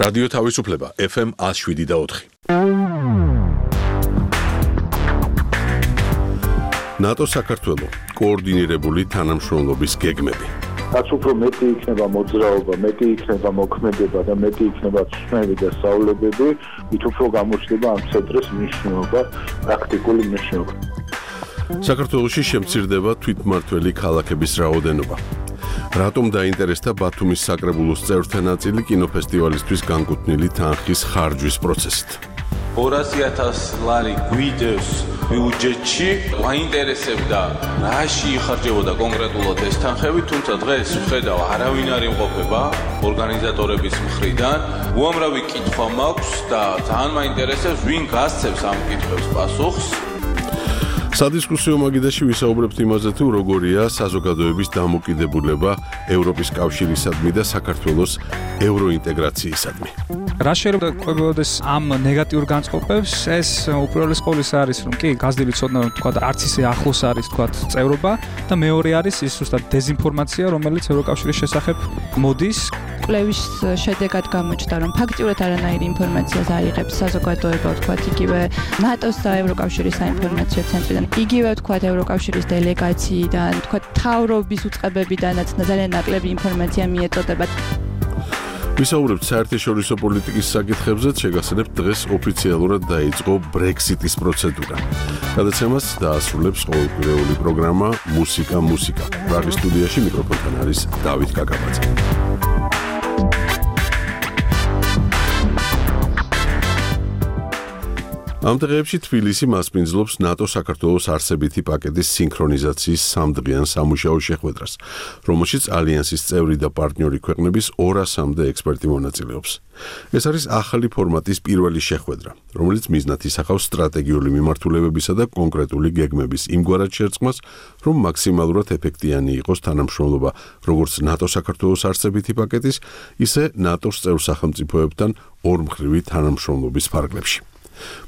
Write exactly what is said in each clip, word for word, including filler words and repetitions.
რადიო თავისუფლება ეფ ემ one oh seven და four. ნატო საქართველო კოორდინირებული თანამშრომლობის გეგმები. რაც უფრო მეტი იქნება მოძრაობა, მეტი იქნება მოქმედება და მეტი იქნება ცნები და სწავლებები, მით უფრო გამოჩნდება ამ ცენტრის მნიშვნელობა, პრაქტიკული მნიშვნელობა. საქართველოში შემცირდება თვითმმართველი ქალაქების რაოდენობა. რატომ დაინტერესდა ბათუმის საკრებულოს წევრთა ნაწილი კინოფესტივალისთვის განკუთვნილი თანხის ხარჯვის პროცესით? ორასი ათასი ლარი გვიდევს ბიუჯეტში, მაინტერესებდა რაში იხარჯებოდა კონკრეტულად ეს თანხები, თუმცა დღეს ვხედავ არავინ არ იმყოფება ორგანიზატორების მხრიდან. უამრავი კითხვა მაქვს და ძალიან მაინტერესებს ვინ გასცემს ამ კითხვებს პასუხს. სადისკუსიო მაგიდაში ვისაუბრებთ იმაზე თუ როგორია საზოგადოების დამოკიდებულება ევროპის კავშირისადმი და საქართველოს ევროინტეგრაციისადმი. რა შეიძლება ყვებოდეს ამ ნეგატიურ განწყობებს, ეს უპირველეს ყოვლისა არის, რომ კი გაზრდილი ცოდნა თქვა არც ისე ახლოს არის თქვა წევრობა და მეორე არის ის ზუსტად დეზინფორმაცია, რომელიც ევროკავშირის შესახებ მოდის. კვლევის შედეგად გამოჩნდა, რომ ფაქტიურად არანაირი ინფორმაციას აიღებს საზოგადოება, თქვა იგივე ნატოს და ევროკავშირის საინფორმაციო ცენტრიდან, იგივე თქვა ევროკავშირის დელეგაციიდან, თქვა მთავრობის უწყებებიდანაც ძალიან ნაკლები ინფორმაცია მიეწოდება. ვისაუბრებთ საერთაშორისო პოლიტიკის საკითხებზეც, შეგახსენებთ დღეს ოფიციალურად დაიწყო ბრექსიტის პროცედურა. გადაცემას დაასრულებს ყოველკვირეული პროგრამა მუსიკა მუსიკა. პრაღის სტუდიაში მიკროფონთან არის დავით კაკაბაძე. ამ დღეებში თბილისი მასპინძლობს ნატო საქართველოს არსებითი პაკეტის სინქრონიზაციის სამდღიან სამუშაო შეხვედრას, რომელშიც ალიანსის წევრი და პარტნიორი ქვეყნების ორასამდე ექსპერტი მონაწილეობს. ეს არის ახალი ფორმატის პირველი შეხვედრა, რომელიც მიზნად ისახავს სტრატეგიული მიმართულებებისა და კონკრეტული გეგმების იმგვარად შერწყმას, რომ მაქსიმალურად ეფექტიანი იყოს თანამშრომლობა როგორც ნატო საქართველოს არსებითი პაკეტის, ისე ნატოს წევრ სახელმწიფოებთან ორმხრივი თანამშრომლობის ფარგლებში.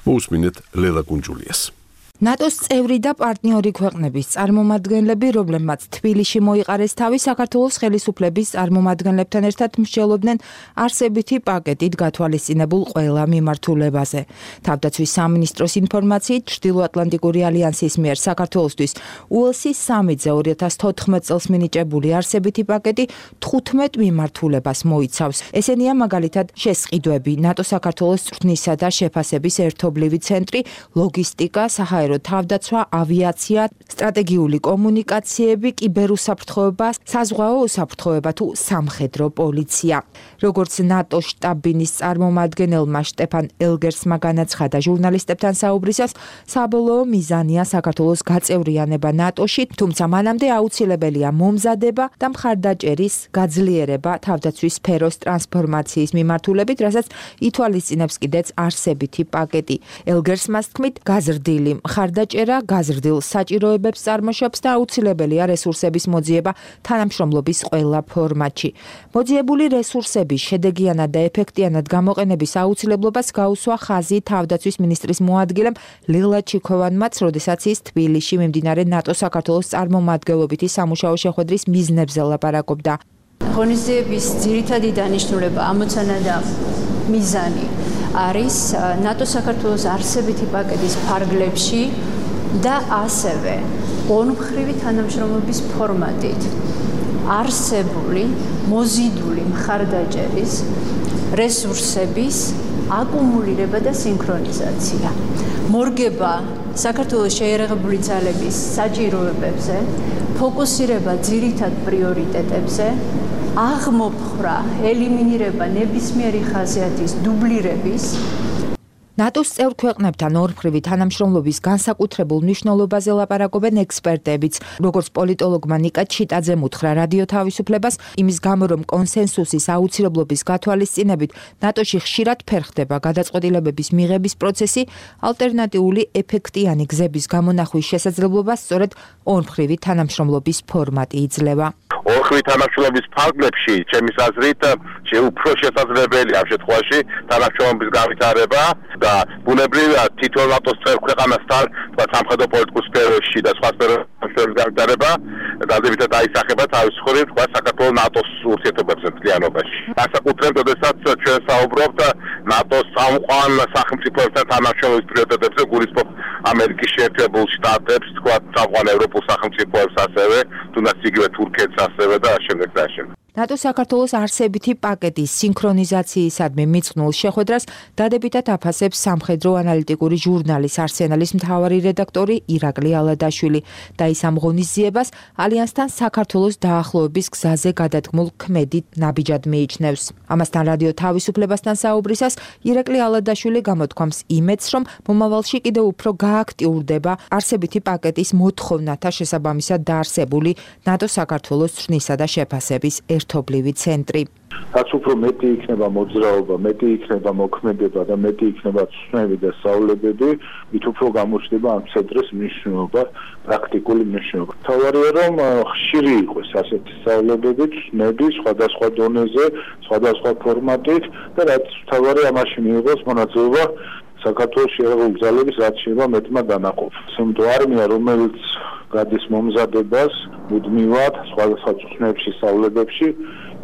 მოусმინეთ ლელა კუნჯულიას. ნატოს წევრი და პარტნიორი ქვეყნების წარმომადგენლები, რომლებმაც თბილისში მოიყარეს თავი, საქართველოს ხელისუფლების წარმომადგენლებთან ერთად მსჯელობდნენ არსებითი პაკეტით გათვალისწინებულ ყველა მიმართულებაზე. თავდაცვის სამინისტროს ინფორმაციით, ჩრდილოატლანტიკური ალიანსის მიერ საქართველოსთვის უელსის სამიტზე ორი ათას თოთხმეტ წელს მინიჭებული არსებითი პაკეტი თხუთმეტ მიმართულებას მოიცავს. ესენია მაგალითად შესყიდვები, ნატო-საქართველოს წვრთნისა და შეფასების ერთობლივი ცენტრი, ლოგისტიკა, საჰაერო თავდაცვა, ავიაცია, სტრატეგიული კომუნიკაციები, კიბერუსაფრთხოება, საზღვაო უსაფრთხოება თუ სამხედრო პოლიცია. როგორც ნატო შტაბ-ბინის წარმომადგენელმა შტეფან ელგერსმა განაცხადა ჟურნალისტებთან საუბრისას, საბოლოო მიზანია საქართველოს გაწევრიანება ნატოში, თუმცა მანამდე აუცილებელია მომზადება და მხარდაჭერის გაძლიერება თავდაცვის სფეროს ტრანსფორმაციის მიმართულებით, რასაც ითვალისწინებს კიდეც არსებითი პაკეტი. ელგერსმას თქმით, გაზრდილი მხარდაჭერა გაზრდილ საჭიროებებს წარმოშობს და აუცილებელია რესურსების მოძიება თანამშრომლობის ყველა ფორმატში. მოძიებული რესურსების შედეგიანად და ეფექტიანად გამოყენების აუცილებლობას გაუსვა ხაზი თავდაცვის მინისტრის მოადგილემ ლელა ჩიქოვანმაც, როდესაც ის თბილისში მიმდინარე ნატო-საქართველოს წარმომადგენლობითი სამუშაო შეხვედრის მიზნებზე ლაპარაკობდა. ღონისძიების ძირითადი დანიშნულება, ამოცანა და მიზანი არის ნატო-საქართველოს არსებითი პაკეტის ფარგლებში და ასევე ორმხრივი თანამშრომლობის ფორმატით არსებული მოზიდული მხარდაჭერის რესურსების აკუმულირება და სინქრონიზაცია. მორგება საქართველოს შეიარაღებული ძალების საჭიროებებზე, ფოკუსირება ძირითად პრიორიტეტებზე, აღმოფხვრა, ელიმინირება ნებისმიერი ხასიათის დუბლირების. ნატოს წევრ ქვეყნებთან ორმხრივი თანამშრომლობის განსაკუთრებულ მნიშვნელობაზე ლაპარაკობენ ექსპერტებიც, როგორც პოლიტოლოგმა ნიკა ჩიტაძემ უთხრა რადიო თავისუფლებას, იმის გამო, რომ კონსენსუსის აუცილებლობის გათვალისწინებით ნატოში ხშირად ფერხდება გადაწყვეტილებების მიღების პროცესი, ალტერნატიული ეფექტიანი გზების გამონახვის შესაძლებლობას სწორედ ორმხრივი თანამშრომლობის ფორმატი იძლევა. ორმხრივი თანამშრომლობის ფარგლებში, ჩემის აზრით, უფრო შესაძლებელია ამ შემთხვევაში თანამშრომლობის განვითარება და ბუნებრივია თითოეულ ნატოს წევრ ქვეყანასთან, თქვა სამხედრო პოლიტიკურ სფეროში და სხვა სფეროებში განვითარება დადებითად აისახება თავის მხრივ თქვა საქართველოს ნატოს ურთიერთობებზე მთლიანობაში. განსაკუთრებით, როდესაც ჩვენ საუბრობთ ნატოს წამყვან სახელმწიფოებთან თანამშრომლობის პრიორიტეტებზე, გულისხმობ ამერიკის შეერთებულ შტატებს, თქვა წამყვან ევროპულ სახელმწიფოებს ასევე, თუნდაც იგივე თურქეთს ასევე და შემდეგ და შემდეგ. ნატო საქართველოს არსებითი პაკეტის სინქრონიზაციისადმი მიწყნულ შეხვედრას დადებითად აფასებს სამხედრო ანალიტიკური ჟურნალის არსენალის მთავარი რედაქტორი ირაკლი ალადაშვილი და ის ამ ღონისძიებას ალიანსთან საქართველოს დაახლოების გზაზე გადადგმულ ქმედით ნაბიჯად მიიჩნევს. ამასთან რადიო თავისუფლებასთან საუბრისას ირაკლი ალადაშვილი გამოთქვამს იმედს, რომ მომავალში კიდევ უფრო გააქტიურდება არსებითი პაკეტის მოთხოვნათა შესაბამისად დაარსებული ნატო საქართველოს ცვლისა და შეფასების ერთობლივი ცენტრი. რაც უფრო მეტი იქნება მოძრაობა, მეტი იქნება მოქმედება და მეტი იქნება ცნები და სწავლებები, მით უფრო გამოჩნდება ამ ცენტრის მნიშვნელობა, პრაქტიკული მნიშვნელობა. თავარია რომ ხშირი იყოს ასეთი სწავლებები, ცნები სხვადასხვა დონეზე, სხვადასხვა ფორმატით და რაც თავარია ამაში მიიღოს მონაწილეობა საქართველოს შეერთებული ძალების რაც შეიძლება მეტმა დანაყოფს. სამთო არმია, რომელიც გადის მომზადებას მუდმივად სხვადასხვა ცნებში, სწავლებებში,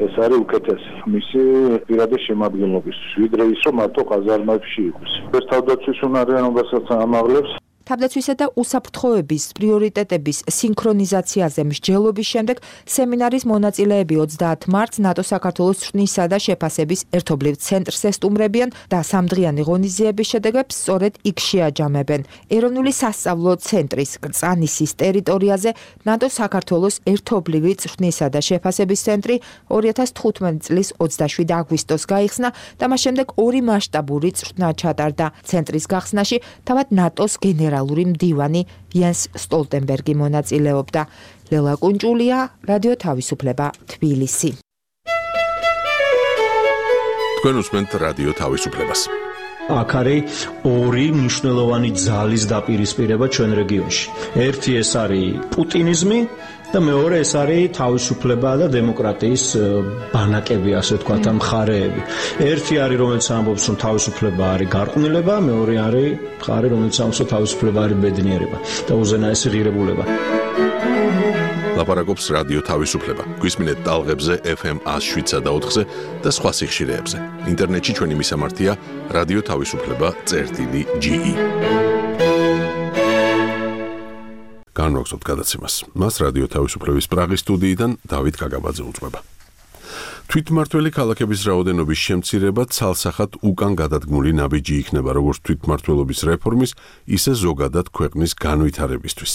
ეს არის უკეთესი მისი პირადი შემადგენლობისთვის, ვიდრე ის რომ მარტო ყაზარმებში იყოს. ეს თავდაცვის უნარიანობასაც ამაღლებს. თავდაცვისა და უსაფრთხოების პრიორიტეტების სინქრონიზაციაზე მსჯელობის შემდეგ სემინარის მონაწილეები ოცდაათ მარტს ნატო საქართველოს ცვნისა და შეფასების ერთობლივ ცენტრს ესტუმრებიან და სამდღიანი ღონისძიების შედეგებს სწორედ იქ შეაჯამებენ. ეროვნული სასწავლო ცენტრის კრწანისის ტერიტორიაზე ნატო საქართველოს ერთობლივი ცვნისა და შეფასების ცენტრი ორი ათას თხუთმეტი წლის ოცდაშვიდ აგვისტოს გაიხსნა და მას შემდეგ ორი მასშტაბური ცვნა ჩატარდა. ცენტრის გახსნაში თავად ნატოს გენერალური მდივანი იანს სტოლტენბერგი მონაწილეობდა. ლელა კუნჭულია, რადიო თავისუფლება, თბილისი. თქვენ უსმენთ რადიო თავისუფლებას. აქ არის ორი მნიშვნელოვანი ძალის დაპირისპირება ჩვენ რეგიონში. ერთი ეს არის პუტინიზმი და მეორე ეს არის თავისუფლება და დემოკრატიის ბანაკები, ასე ვთქვათ, ამ მხარეები. ერთი არის, რომელიც ამბობს, რომ თავისუფლება არის გარყვნილება, მეორე არის მხარე, რომელიც ამბობს, რომ თავისუფლება არის ბედნიერება და უზენაესი ღირებულება. ლაპარაკობს რადიო თავისუფლება. გვისმინეთ ტალღებზე ეფ ემ ას შვიდსა და ოთხზე და სხვა სიხშირეებზე. ინტერნეტში ჩვენი მისამართია რადიო თავისუფლება წერტილი ჯი ი. განვაგრძობთ გადაცემას. მას რადიო თავისუფლების პრაღის სტუდიიდან დავით კაგაბაძე უძღვება. თვითმმართველი ქალაქების რაოდენობის შემცირება ცალსახად უკან გადადგმული ნაბიჯი იქნება როგორც თვითმმართველობის რეფორმის, ისე ზოგადად ქვეყნის განვითარებისთვის.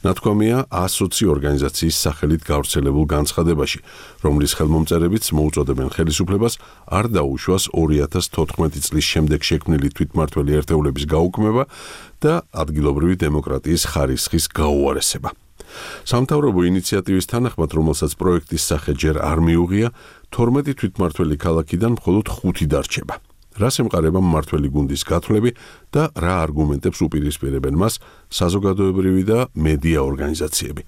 ნათქვამია ასოცი ორგანიზაციის სახელით გავრცელებულ განცხადებაში, რომლის ხელმომწერებიც მოუწოდებენ ხელისუფლებას არ დაუშვას ორი ათას თოთხმეტი წლის შემდეგ შექმნილი თვითმმართველი ერთეულების გაუქმება და ადგილობრივი დემოკრატიის ხარისხის გაუარესება. სამთავრობო ინიციატივის თანახმად, რომელსაც პროექტის სახე ჯერ არ მიუღია, თორმეტი თვითმმართველი ქალაქიდან მხოლოდ ხუთი დარჩება. რას ემყარება მმართველი გუნდის გათვლები და რა არგუმენტებს უპირისპირებენ მას საზოგადოებრივი და მედია ორგანიზაციები.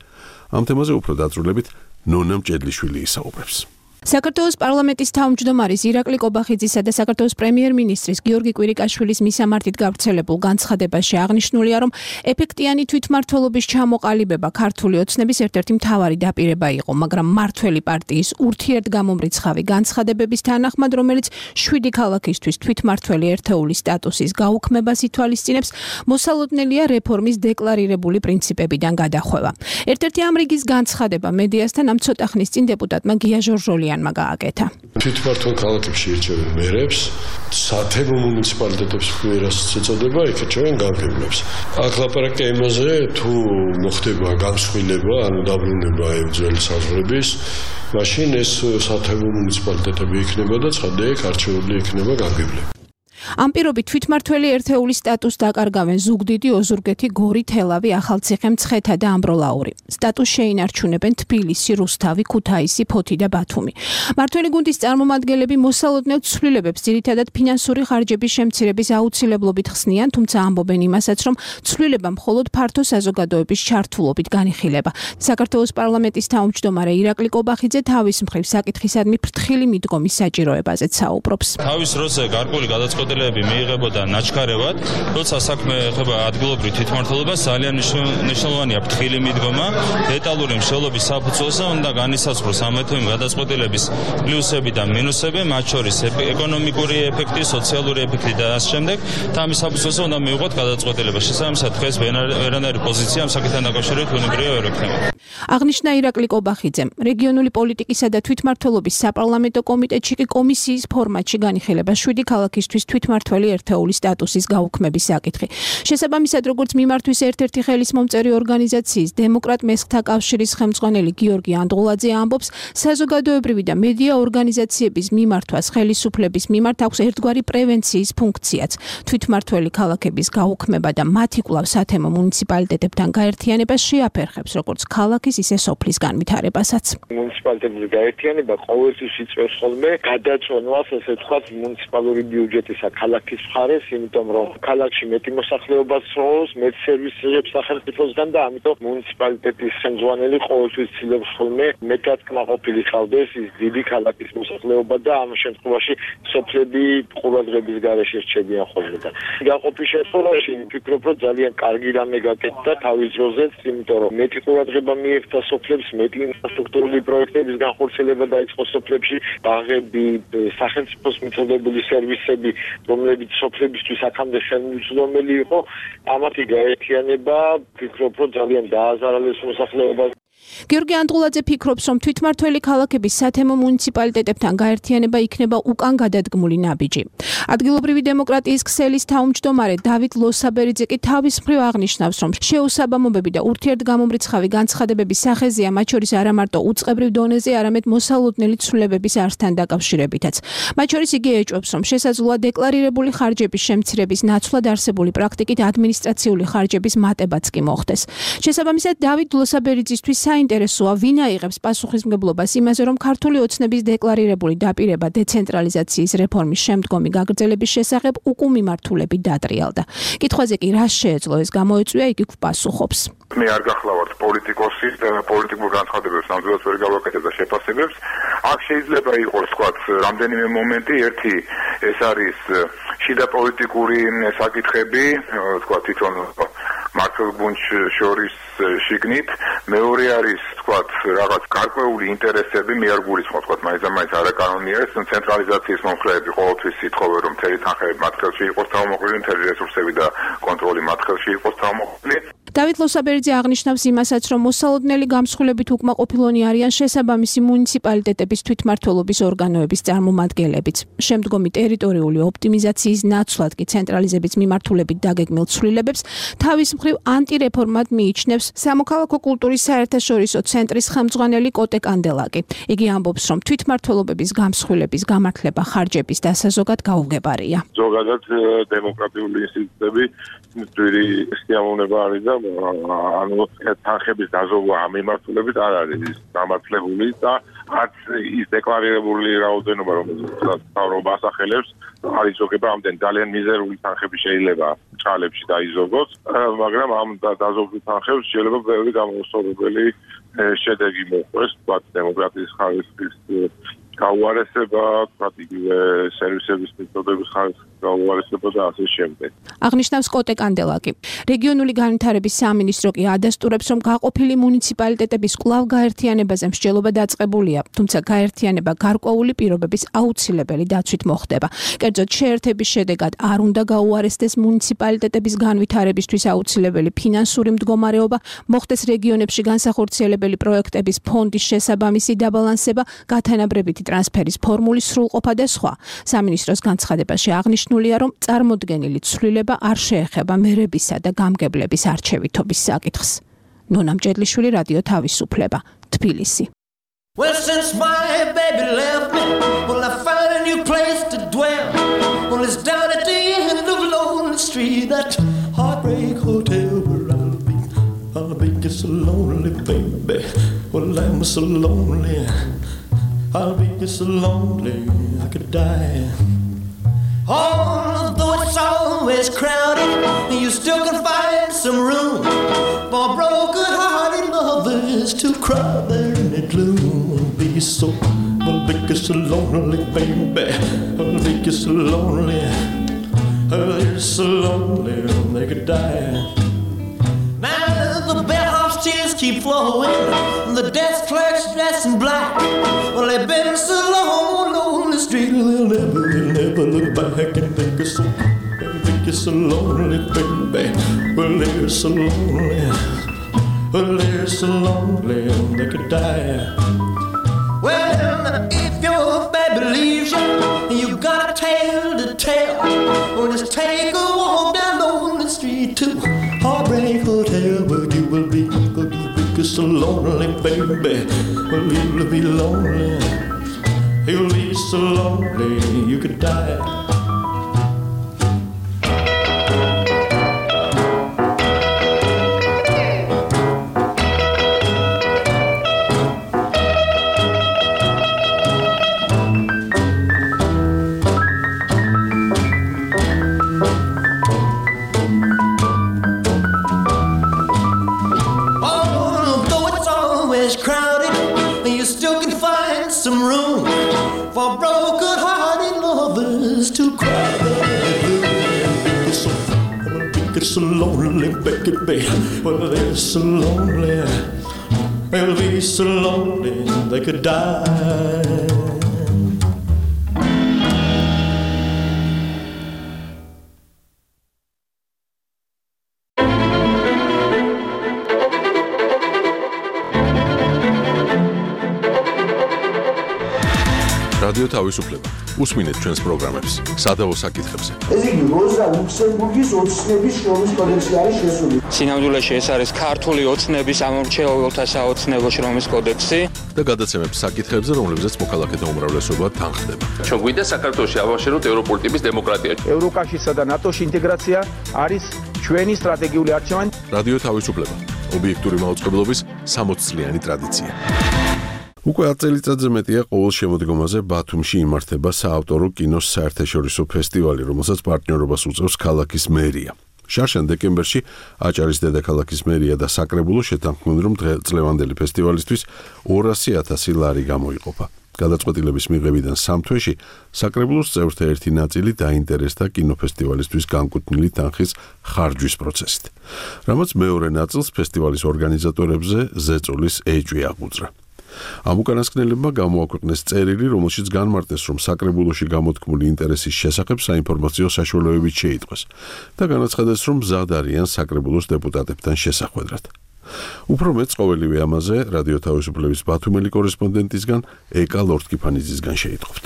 ამ თემაზე უფრო დაწვრილებით ნონა მჭედლიშვილი ისაუბრებს. საქართველოს პარლამენტის თავმჯდომარის ირაკლი კობახიძისა და საქართველოს პრემიერ-მინისტრის გიორგი კვირიკაშვილის მისამართით გავრცელებულ განცხადებაში აღნიშნულია, რომ ეფექტიანი თვითმმართველობის ჩამოყალიბება ქართული ოცნების ერთ-ერთი მთავარი დაპირება იყო, მაგრამ მმართველი პარტიის ურთიერთგამომრიცხავი განცხადებების თანახმად, რომელიც შვიდი ქალაქისთვის თვითმმართველი ერთეულის სტატუსის გაუქმებას ითვალისწინებს, მოსალოდნელია რეფორმის დეკლარირებული პრინციპებიდან გადახვევა. ერთ-ერთი ამ რიგის განცხადება მედიასთან ამ ცოტა ხნის წინ დეპუტატმა გია ჟორჟოლიანმა გააკეთა. თვითმმართველ ქალაქებში ირჩევენ მერებს, სათემო მუნიციპალიტეტებს ვერასც ეწოდება, იქ ირჩევენ გამგებლებს. აქ ლაპარაკია იმაზე, თუ მოხდება გამსხვილება, ანუ დაბრუნება ძველი საზღვრების, მაშინ ეს სათემო მუნიციპალიტეტები იქნება და ცხადია, იქ არჩეული იქნება გამგებლები. ამ პირობით თვითმმართველი ერთეულის სტატუსს დაკარგავენ ზუგდიდი, ოზურგეთი, გორი, თელავი, ახალციხე, მცხეთა და ამბროლაური. სტატუსს შეინარჩუნებენ თბილისი, რუსთავი, ქუთაისი, ფოთი და ბათუმი. მმართველი გუნდის წარმომადგენლები მოსალოდნელ ცვლილებებს ძირითადად ფინანსური ხარჯების შემცირების აუცილებლობით ხსნიან, თუმცა ამბობენ იმასაც, რომ ცვლილება მხოლოდ ფართო საზოგადოების ჩართულობით განიხილება. საქართველოს პარლამენტის თავმჯდომარე ირაკლი კობახიძე თავის მხრივ საკითხისადმი ფრთხილი მიდგომის საჭიროებაზეც საუბრობს. თავის როზე გარკვეული გადაწყვეტილება გადაწყვეტილებები მიიღებოდა ნაჩქარევად, როცა საქმე ეხება ადგილობრივ თვითმმართველობას, ძალიან მნიშვნელოვანია ფრთხილი მიდგომა, დეტალური მსჯელობის საფუძველზე უნდა განისაზღვროს ამ ეთნობრივი გადაწყვეტილების პლუსები და მინუსები, მათ შორის ეკონომიკური ეფექტი, სოციალური ეფექტი და ამ შემდეგ, და ამის საფუძველზე უნდა მიიღოთ გადაწყვეტილება. შესაბამისად, დღეს ვერანაირი პოზიცია ამ საკითხთან დაკავშირებით უნებრივია ვერ ექნება. აღნიშნა ირაკლი კობახიძემ, რეგიონული პოლიტიკისა და თვითმმართველობის საპარლამენტო კომიტეტში კი კომისიის ფორმატში განიხილება შვიდი ქალაქისთვის თვითმმართველი ერთეულის სტატუსის გაუქმების საკითხი. შესაბამისად, როგორც მიმართვის ერთ-ერთი ხელისმომწერი ორგანიზაციის დემოკრატ მესხთა კავშირის ხელმძღვანელი გიორგი ანდღულაძე ამბობს, საზოგადოებრივი და მედია ორგანიზაციების მიმართვას ხელისუფლების მიმართ აქვს ერთგვარი პრევენციის ფუნქციაც. თვითმმართველი ქალაქების გაუქმება და მათი კვლავ სათემო მუნიციპალიტეტებთან გაერთიანება შეაფერხებს როგორც ქალაქის, ისე სოფლის განვითარებასაც. მუნიციპალიტეტების გაერთიანება ყოველთვის იწვევს ხოლმე გადაწვენვას, ესე ვთქვათ, მუნიციპალური ბიუჯეტისა ქალაქის მხარეს, იმიტომ რომ ქალაქში მეტი მოსახლეობა სროლს, მეტ სერვისებს სახელმწიფოსგან და ამიტომ მუნიციპალიტეტის ხელმძღვანელი ყოველთვის ცდილობს ხოლმე მეტად კმაყოფილი ხავდეს ის დიდი ქალაქის მოსახლეობა და ამ შემთხვევაში სოფლები ყურადღების გარეშე რჩებიან ხოლმე და გაყოფის შემთხვევაში ვფიქრობ, რომ ძალიან კარგი რამე გაკეთდა თავის დროზეც, იმიტომ რომ მეტი ყურადღება მიექცა სოფლებს, მეტი ინფრასტრუქტურული პროექტების განხორციელება დაიწყო სოფლებში, ბაღები, სახელმწიფოს მიწოდებული სერვისები, რომლებიც სოფლებისთვის აქამდე ხელმძღვანელი იყო, ამათი გაერთიანება ვფიქრობ, რომ ძალიან დააზარალებს მოსახლეობას. გიორგი ანდღულაძე ფიქრობს, რომ თვითმმართველი ქალაქების სათემო მუნიციპალიტეტებთან გაერთიანება იქნება უკან გადადგმული ნაბიჯი. ადგილობრივი დემოკრატიის ქსელის თავმჯდომარე დავით ლოსაბერიძე კი თავის მხრივ აღნიშნავს, რომ შეუსაბამობები და ურთიერთგამომრიცხავი განცხადებების სახეზეა, მათ შორის არა მარტო უწყებრივ დონეზე, არამედ მოსალოდნელი ცვლილებების არსთან დაკავშირებითაც. მათ შორის იგი ეჭვობს, რომ შესაძლოა დეკლარირებული ხარჯების შემცირების ნაცვლად არსებული პრაქტიკით ადმინისტრაციული ხარჯების მატებაც კი მოხდეს. შესაბამისად, დავით ლოსაბერიძისთვის საინტერესოა, ვინ აიღებს პასუხისმგებლობას იმაზე, რომ ქართული ოცნების დეკლარირებული დაპირება დეცენტრალიზაციის რეფორმის შემდგომი გაგრძელების შესახებ უკუმიმართულებით დატრიალდა. კითხვაზე კი რა შეეძლო ეს გამოეწვია, იგი გვპასუხობს. მე არ გახლავართ პოლიტიკოსი და პოლიტიკურ განცხადებებს ნამდვილად ვერ გავაკეთებ და შეფასებებს. აქ შეიძლება იყოს, თქვათ, რამდენიმე მომენტი, ერთი ეს არის შიდა პოლიტიკური საკითხები, თქვათ, თვითონ მართლ გუნდს შორის შიგნით, მეორე არის, თქვათ, რაღაც გარკვეული ინტერესები, მე არ გულისხმობ, თქვათ, მაინც და მაინც არაკანონია ეს ცენტრალიზაციის მომხრეები ყოველთვის ითხოვენ, რომ მთელი თანხები მათ ხელში იყოს თავმოყრილი, მთელი რესურსები და კონტროლი მათ ხელში იყოს თავმოყრილი. დავით ლოსაბერიძე აღნიშნავს იმასაც, რომ მოსალოდნელი გამსხვილებით უკმაყოფილონი არიან შესაბამისი მუნიციპალიტეტების თვითმმართველობის ორგანოების წარმომადგენლებიც. შემდგომი ტერიტორიული ოპტიმიზაციის ნაცვლად კი ცენტრალიზების მიმართულებით დაგეგმილ ცვლილებებს თავის მხრივ ანტირეფორმად მიიჩნევს სამოქალაქო კულტურის საერთაშორისო ცენტრის ხელმძღვანელი კოტე კანდელაკი. იგი ამბობს, რომ თვითმმართველობების გამსხვილების გამართლება ხარჯების დასაზოგად გაუგებარია. ზოგადად დემოკრატიული ინსტიტუტები ძვირი სიამოვნება არის და ანუ თანხების დაზოგვა ამ მიმართულებით არ არის გამართლებული და არც ის დეკლარირებული რაოდენობა, რომელიც მთავრობა ასახელებს, არ იზოგება ამდენ ძალიან მიზერული თანხები შეიძლება ჭალებში დაიზოგოს, მაგრამ ამ დაზოგვის თანხებს შეიძლება ბევრი გამოსწორებელი შედეგი მოყვეს, თქვათ, დემოკრატიის ხარისხის გაუარესება, თქვათ, იგივე სერვისების მიწოდების ხარისხის გაუარესება და ასე შემდეგ. აღნიშნავს კოტე კანდელაკი. რეგიონული განვითარების სამინისტრო კი ადასტურებს, რომ გაყოფილი მუნიციპალიტეტების კვლავ გაერთიანებაზე მსჯელობა დაწყებულია, თუმცა გაერთიანება გარკვეული პირობების აუცილებელი დაცვით მოხდება. კერძოდ, შეერთების შედეგად არ უნდა გაუარესდეს მუნიციპალიტეტების განვითარებისთვის აუცილებელი ფინანსური მდგომარეობა, მოხდეს რეგიონებში განსახორციელებელი პროექტების ფონდის შესაბამისი დაბალანსება, გათანაბრებითი ტრანსფერის ფორმულის სრულყოფა და სხვა. სამინისტროს განცხადებაში აღნიშნულია, რომ წარმოდგენილი ცვლილება არ შეეხება მერებისა და გამგებლების არჩევითობის საკითხს. ნონა მჭედლიშვილი, რადიო თავისუფლება, თბილისი. Well, since my baby left me, well, I found a new place to dwell. Well, it's down at the end of Lonely Street, that heartbreak hotel where I'll be. I'll be just so lonely, baby. Well, I'm so lonely. I'll be just so lonely, I could die. Although it's always crowded, you still can find some room for broken-hearted lovers to cry there in the gloom. I'll be so, I'll be just so lonely, baby. I'll be just so lonely. They're so lonely they could die. Now the bellhop's tears keep flowing, the desk clerk's dressed in black. Well, they've been so long on the street, they'll never, they'll never look back and think it's so, think it's so lonely, baby. Well, they're so lonely, well, they're so lonely they could die. Well, if your baby leaves you, you got a tale to tell. Well, just take a walk down on the street to Heartbreak Hotel, where you will be, where you will be so lonely, baby. Well, you'll be lonely, you'll be so lonely you could die. So lonely, baby. Well, they're so lonely. They'll be so lonely they could die. რადიო თავისუფლება. უსმინეთ ჩვენს პროგრამებს სადავო საკითხებზე. ეს იგი როზა ლუქსემბურგის ოცნების შრომის კოდექსი არის შესული. სინამდვილეში ეს არის ქართული ოცნების ამორჩეულთა საოცნებო შრომის კოდექსი და გადაცემებს საკითხებზე, რომლებზეც მოქალაქეთა უმრავლესობა თანხდება. ჩვენ გვინდა საქართველოში ავაშენოთ ევროპული ტიპის დემოკრატია. ევროკავშირსა და ნატოს ინტეგრაცია არის ჩვენი სტრატეგიული არჩევანი. რადიო თავისუფლება. ობიექტური მაუწყებლობის სამოც წლიანი ტრადიცია. უკვე ათ წელიწადზე მეტია ყოველ შემოდგომაზე ბათუმში იმართება საავტორო კინოს საერთაშორისო ფესტივალი, რომელსაც პარტნიორობას უწევს ქალაქის მერია. შარშან დეკემბერში აჭარის დედაქალაქის მერია და საკრებულო შეთანხმდნენ, რომ წლევანდელი ფესტივალისთვის ორასი ათასი ლარი გამოიყოფა. გადაწყვეტილების მიღებიდან სამ თვეში საკრებულოს წევრთა ერთი ნაწილი დაინტერესდა კინოფესტივალისთვის განკუთვნილი თანხის ხარჯვის პროცესით, რამაც მეორე ნაწილს ფესტივალის ორგანიზატორებზე ზეწოლის ეჭვი აღუძრა. ამ უკანასკნელებმა გამოაქვეყნეს წერილი, რომელშიც განმარტეს, რომ საკრებულოში გამოთქმული ინტერესის შესახებ საინფორმაციო საშუალებებით შეიტყვეს და განაცხადეს, რომ მზად არიან საკრებულოს დეპუტატებთან შესახვედრად. უფრო მეც ყოველივე ამაზე რადიო თავისუფლების ბათუმელი კორესპონდენტისგან ეკა ლორთქიფანიძისგან შეიტყვით.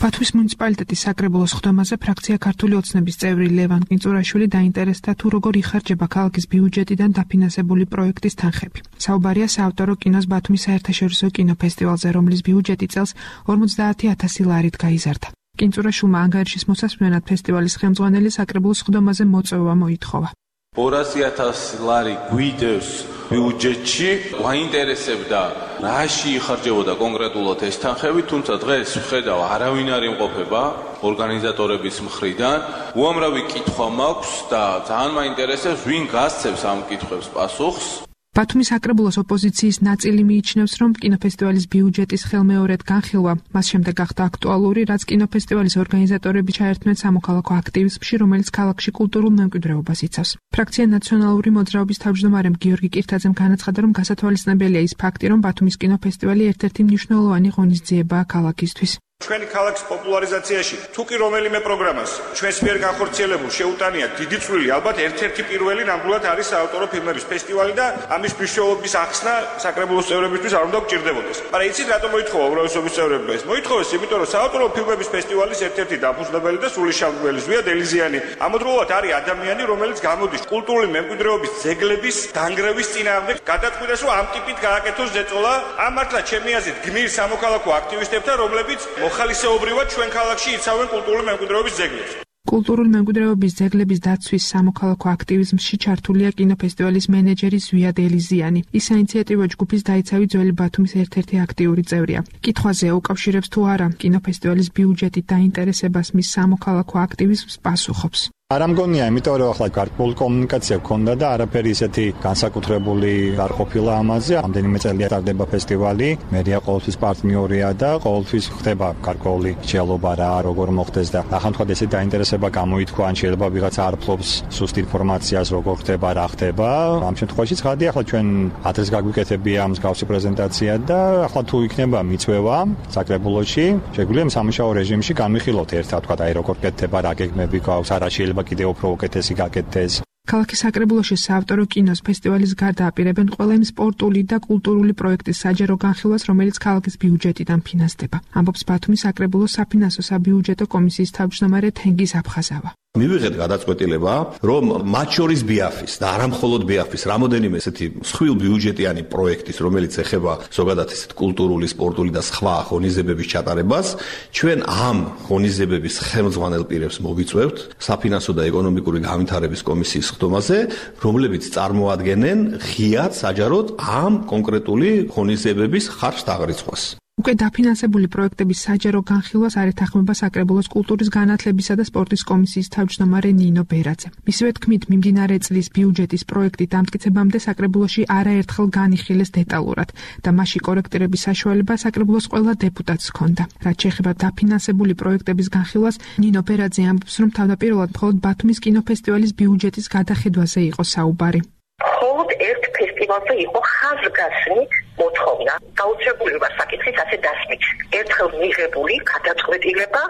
ბათუმის მუნიციპალიტეტის საკრებულოს ხდომაზე ფრაქცია ქართული ოცნების წევრი ლევან კინწურაშვილი დაინტერესდა თუ როგორ იხარჯება ქალაქის ბიუჯეტიდან დაფინანსებული პროექტის თანხები. საუბარია საავტორო კინოს ბათუმის საერთაშორისო კინოფესტივალზე, რომლის ბიუჯეტი წელს ორმოცდაათი ათასი ლარით გაიზარდა. კინწურაშვილმა ანგარიშის მოსასმენად ფესტივალის ხელმძღვანელი საკრებულოს ხდომაზე მოწვევა მოითხოვა. ორასი ათასი ლარი გვიდევს ბიუჯეტში, გვაინტერესებდა რაში იხარჯებოდა კონკრეტულად ეს თანხები, თუმცა დღეს ვხედავ არავინ არ იმყოფება ორგანიზატორების მხრიდან. უამრავი კითხვა მაქვს და ძალიან მაინტერესებს, ვინ გასცემს ამ კითხვებს პასუხს. ბათუმის საკრებულოს ოპოზიციის ნაწილი მიიჩნევს, რომ კინოფესტივალის ბიუჯეტის ხელმეორედ განხილვა მას შემდეგ გახდა აქტუალური, რაც კინოფესტივალის ორგანიზატორები ჩაერთმნენ სამოქალაქო აქტივიზმში, რომელიც ქალაქში კულტურულ მემკვიდრეობას იცავს. ფრაქცია ნაციონალური მოძრაობის თავმჯდომარემ გიორგი კირთაძემ განაცხადა, რომ გასათვალისწინებელია ის ფაქტი, რომ ბათუმის კინოფესტივალი ერთ-ერთი მნიშვნელოვანი ღონისძიებაა ქალაქისთვის. ჩვენი ქალაქის პოპულარიზაციაში თუ კი რომელიმე პროგრამას ჩვენს მიერ განხორციელებულ შეუტანია დიდი წვლილი, ალბათ ერთ-ერთი პირველი ნამდვილად არის საავტორო ფილმების ფესტივალი და ამის მნიშვნელობის ახსნა საკრებულოს წევრებისთვის არ უნდა გჭირდებოდეს. მაგრამ იცით რატომ მოითხოვა უმრავლესობის წევრებმა ეს? მოითხოვეს იმიტომ, რომ საავტორო ფილმების ფესტივალის ერთ-ერთი დაფუძნებელი და სულიშამგველი ზვია დელიზიანი ამავდროულად არის ადამიანი, რომელიც გამოდის კულტურული მემკვიდრეობის ძეგლების დანგრევის წინააღმდეგ, გადაწყვიტეს, რომ ამ ტიპით გააკეთოს ზეწოლა. ამ მართლა ჩემი აზრით გმირ სამოქალაქო აქტივისტებთან, რომლებიც ხალისეობრივად ჩვენ ქალაქში იცავენ კულტურული მემკვიდრეობის ძეგლებს. კულტურული მემკვიდრეობის ძეგლების დაცვის სამოქალაქო აქტივიზმში ჩართულია კინოფესტივალის მენეჯერი ზვია დელიზიანი. ის საინიციატივო ჯგუფის დაიცავი ძველი ბათუმის ერთ-ერთი აქტიური წევრია. კითხვაზე უკავშირებს თუ არა კინოფესტივალის ბიუჯეტით დაინტერესებას მის სამოქალაქო აქტივიზმს პასუხობს. არ ამგონია, იმიტომ რომ ახლა გარკვეული კომუნიკაცია გქონდა და არაფერი ისეთი განსაკუთრებული არ ყოფილა ამაზე. ამდენიმე წელია ტარდება ფესტივალი, მერია ყოველთვის პარტნიორია და ყოველთვის ხდება გარკვეული შეალობა რა, როგორ მოხდეს და ახლა ესე დაინტერესება გამოითქვა, ან შეიძლება ვიღაცა არ ფლობს სუსტ ინფორმაციას, როგორ ხდება, რა ხდება. ამ შემთხვევაში ცხადია, ახლა ჩვენ ადრეს გაგვიკეთებია მსგავსი პრეზენტაცია და ახლა თუ იქნება მიწვევა საკრებულოში, შეგვიძლია სამუშაო რეჟიმში განვიხილოთ ერთად, თქვა აი როგორ კეთდება, რა გეგმები გვაქვს, არა შეიძლება კიდევ უფრო უკეთესი გაკეთდეს. ქალაქის საკრებულოში საავტორო კინოს ფესტივალის გარდა აპირებენ ყველა იმ სპორტული და კულტურული პროექტის საჯარო განხილვას, რომელიც ქალაქის ბიუჯეტიდან ფინანსდება. ამბობს ბათუმის საკრებულოს საფინანსო საბიუჯეტო კომისიის თავმჯდომარე თენგიზ აფხაზავა. მივიღეთ გადაწყვეტილება, რომ მათ შორის ბიაფის და არა მხოლოდ ბიაფის, რამოდენიმე ესეთი მსხვილ ბიუჯეტიანი პროექტის, რომელიც ეხება ზოგადად ესეთ კულტურული, სპორტული და სხვა ღონისძიებების ჩატარებას, ჩვენ ამ ღონისძიებების ხელმძღვანელ პირებს მოვიწვევთ საფინანსო და ეკონომიკური განვითარების კომისიის ხდომაზე, რომლებიც წარმოადგენენ ღიად საჯაროდ ამ კონკრეტული ღონისძიებების ხარჯს დაღრიცხვას. უკვე დაფინანსებული პროექტების საჯარო განხილვას არ ეთანხმება საკრებულოს კულტურის განათლებისა და სპორტის კომისიის თავმჯდომარე ნინო ბერაძე. მისივე თქმით, მიმდინარე წლის ბიუჯეტის პროექტი დამტკიცებამდე საკრებულოში არაერთხელ განიხილეს დეტალურად და მასში კორექტირების საშუალება საკრებულოს ყველა დეპუტატს ჰქონდა. რაც შეეხება დაფინანსებული პროექტების განხილვას, ნინო ბერაძე ამბობს, რომ თავდაპირველად მხოლოდ ბათუმის კინოფესტივალის ბიუჯეტის გადახედვაზე იყო საუბარი. მხოლოდ ერთ ფესტივალზე იყო ხაზგასმით მოთხოვნა, გაუჩებულება საკითხის ასე დასმით. ერთხელ მიღებული გადაწყვეტილება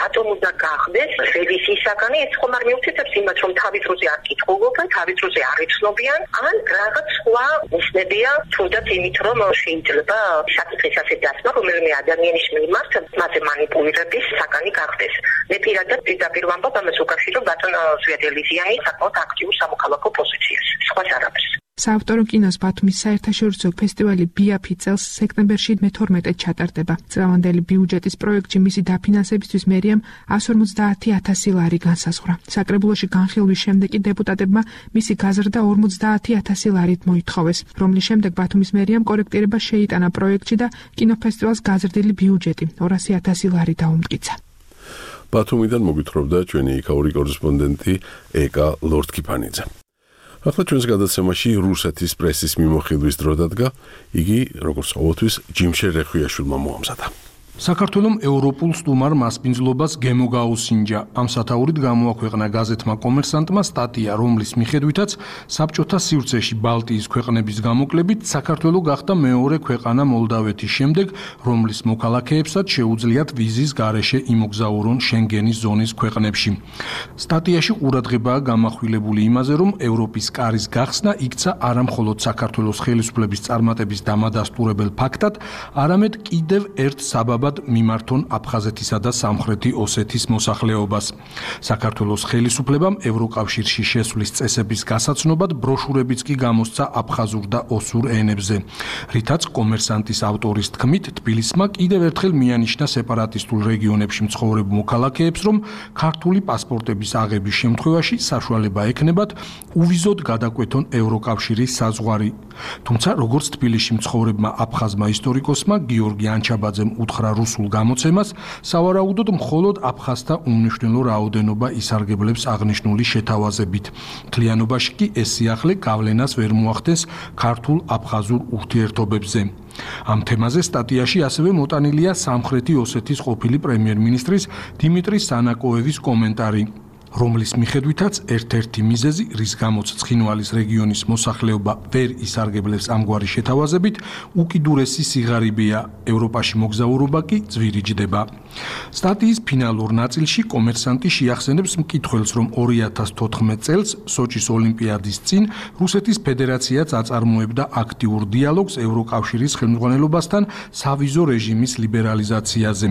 რატომ უნდა გახდეს რევიზიისაგანი, ეს ხომ არ მიუწევს იმას, რომ თავის დროზე არ კითხულობენ, თავის დროზე არ იცნობიან, ან რაღაც სხვა ნიშნებია, თუნდაც იმით, რომ შეიძლება საკითხის ასე დასმა, რომელიმე ადამიანის მიმართ მასზე მანიპულირების საგანი გახდეს. მე პირადად პირდაპირ ვამბობ ამას უკავშირო ბატონ ზვიადელიზიანი საკმაოდ აქტიურ სამოქალაქო პოზიციას. სხვას არაფერს. საავტორო კინოს ბათუმის საერთაშორისო ფესტივალი ბიაფი წელს სექტემბერში მეთორმეტე ჩატარდება. წლევანდელი ბიუჯეტის პროექტში მისი დაფინანსებისთვის მერიამ εκατს ორმოცდაათი ათასი ლარი განსაზღვრა. საკრებულოში განხილვის შემდეგ კი დეპუტატებმა მისი გაზრდა ორმოცდაათი ათასი ლარით მოითხოვეს, რომლის შემდეგ ბათუმის მერიამ კორექტირება შეიტანა პროექტში და კინოფესტივალს გაზრდილი ბიუჯეტი ორასი ათასი ლარი დაუმტკიცა. ბათუმიდან მოგვითხრობდა ჩვენი იქაური კორესპონდენტი ეკა ლორდკიფანიძე. ახლა ჩვენს გადაცემაში რუსეთის პრესის მიმოხილვის დრო დადგა, იგი როგორც ყოველთვის ჯიმშე რეხვიაშვილმა მოამზადა. საქართველოს ევროპულ სტუმარ მასპინძლობას გემოგაუსინჯა. ამ სათაურით გამოაქვეყნა გაზეთმა კომერსანტმა სტატია, რომლის მიხედვითაც საბჭოთა სივრცეში ბალტიის ქვეყნების გამოკლებით საქართველო გახდა მეორე ქვეყანა მოლდავეთის შემდეგ, რომლის მოქალაქეებსაც შეუძლიათ ვიზის გარეშე იმოგზაურონ შენგენის ზონის ქვეყნებში. სტატიაში ყურადღებაა გამახვილებული იმაზე, რომ ევროპის კარის გახსნა იქცა არა მხოლოდ საქართველოს ხელისუფლების წარმატების დამადასტურებელ ფაქტად, არამედ კიდევ ერთ საბაბად მიმართონ აფხაზეთისა და სამხრეთი ოსეთის მოსახლეობას. საქართველოს ხელისუფლებამ ევროკავშირში შესვლის წესების გასაცნობად ბროშურებიც კი გამოსცა აფხაზურ და ოსურ ენებზე. რითაც კომერსანტის ავტორის თქმით, თბილისმა კიდევ ერთხელ მიანიშნა სეპარატისტულ რეგიონებში მცხოვრებ მოქალაქეებს, რომ ქართული პასპორტების აღების შემთხვევაში საშუალება ექნებათ უვიზოდ გადაკვეთონ ევროკავშირის საზღვარი. თუმცა როგორც თბილისში მცხოვრებმა აფხაზმა ისტორიკოსმა გიორგი ანჩაბაძემ უთხრა რუსულ გამოცემას, სავარაუდოდ მხოლოდ აფხაზთა უმნიშვნელო რაოდენობა ისარგებლებს აღნიშნული შეთავაზებით. მთლიანობაში კი ეს სიახლე გავლენას ვერ მოახდენს ქართულ-აფხაზურ ურთიერთობებზე. ამ თემაზე სტატიაში ასევე მოტანილია სამხრეთი ოსეთის ყოფილი პრემიერ-მინისტრის დიმიტრი სანაკოევის კომენტარი, რომლის მიხედვითაც ერთ-ერთი მიზეზი, რის გამოც ცხინვალის რეგიონის მოსახლეობა ვერ ისარგებლებს ამგვარი შეთავაზებით, უკიდურესი სიღარიბეა, ევროპაში მოგზაურობა კი ძვირიჯდება. სტატიის ფინალურ ნაწილში კომერსანტი შეახსენებს მკითხველს, რომ ორი ათას თოთხმეტ წელს სოჭის ოლიმპიადის წინ რუსეთის ფედერაციაც აწარმოებდა აქტიურ დიალოგს ევროკავშირის ხელმძღვანელობასთან სავიზო რეჟიმის ლიბერალიზაციაზე,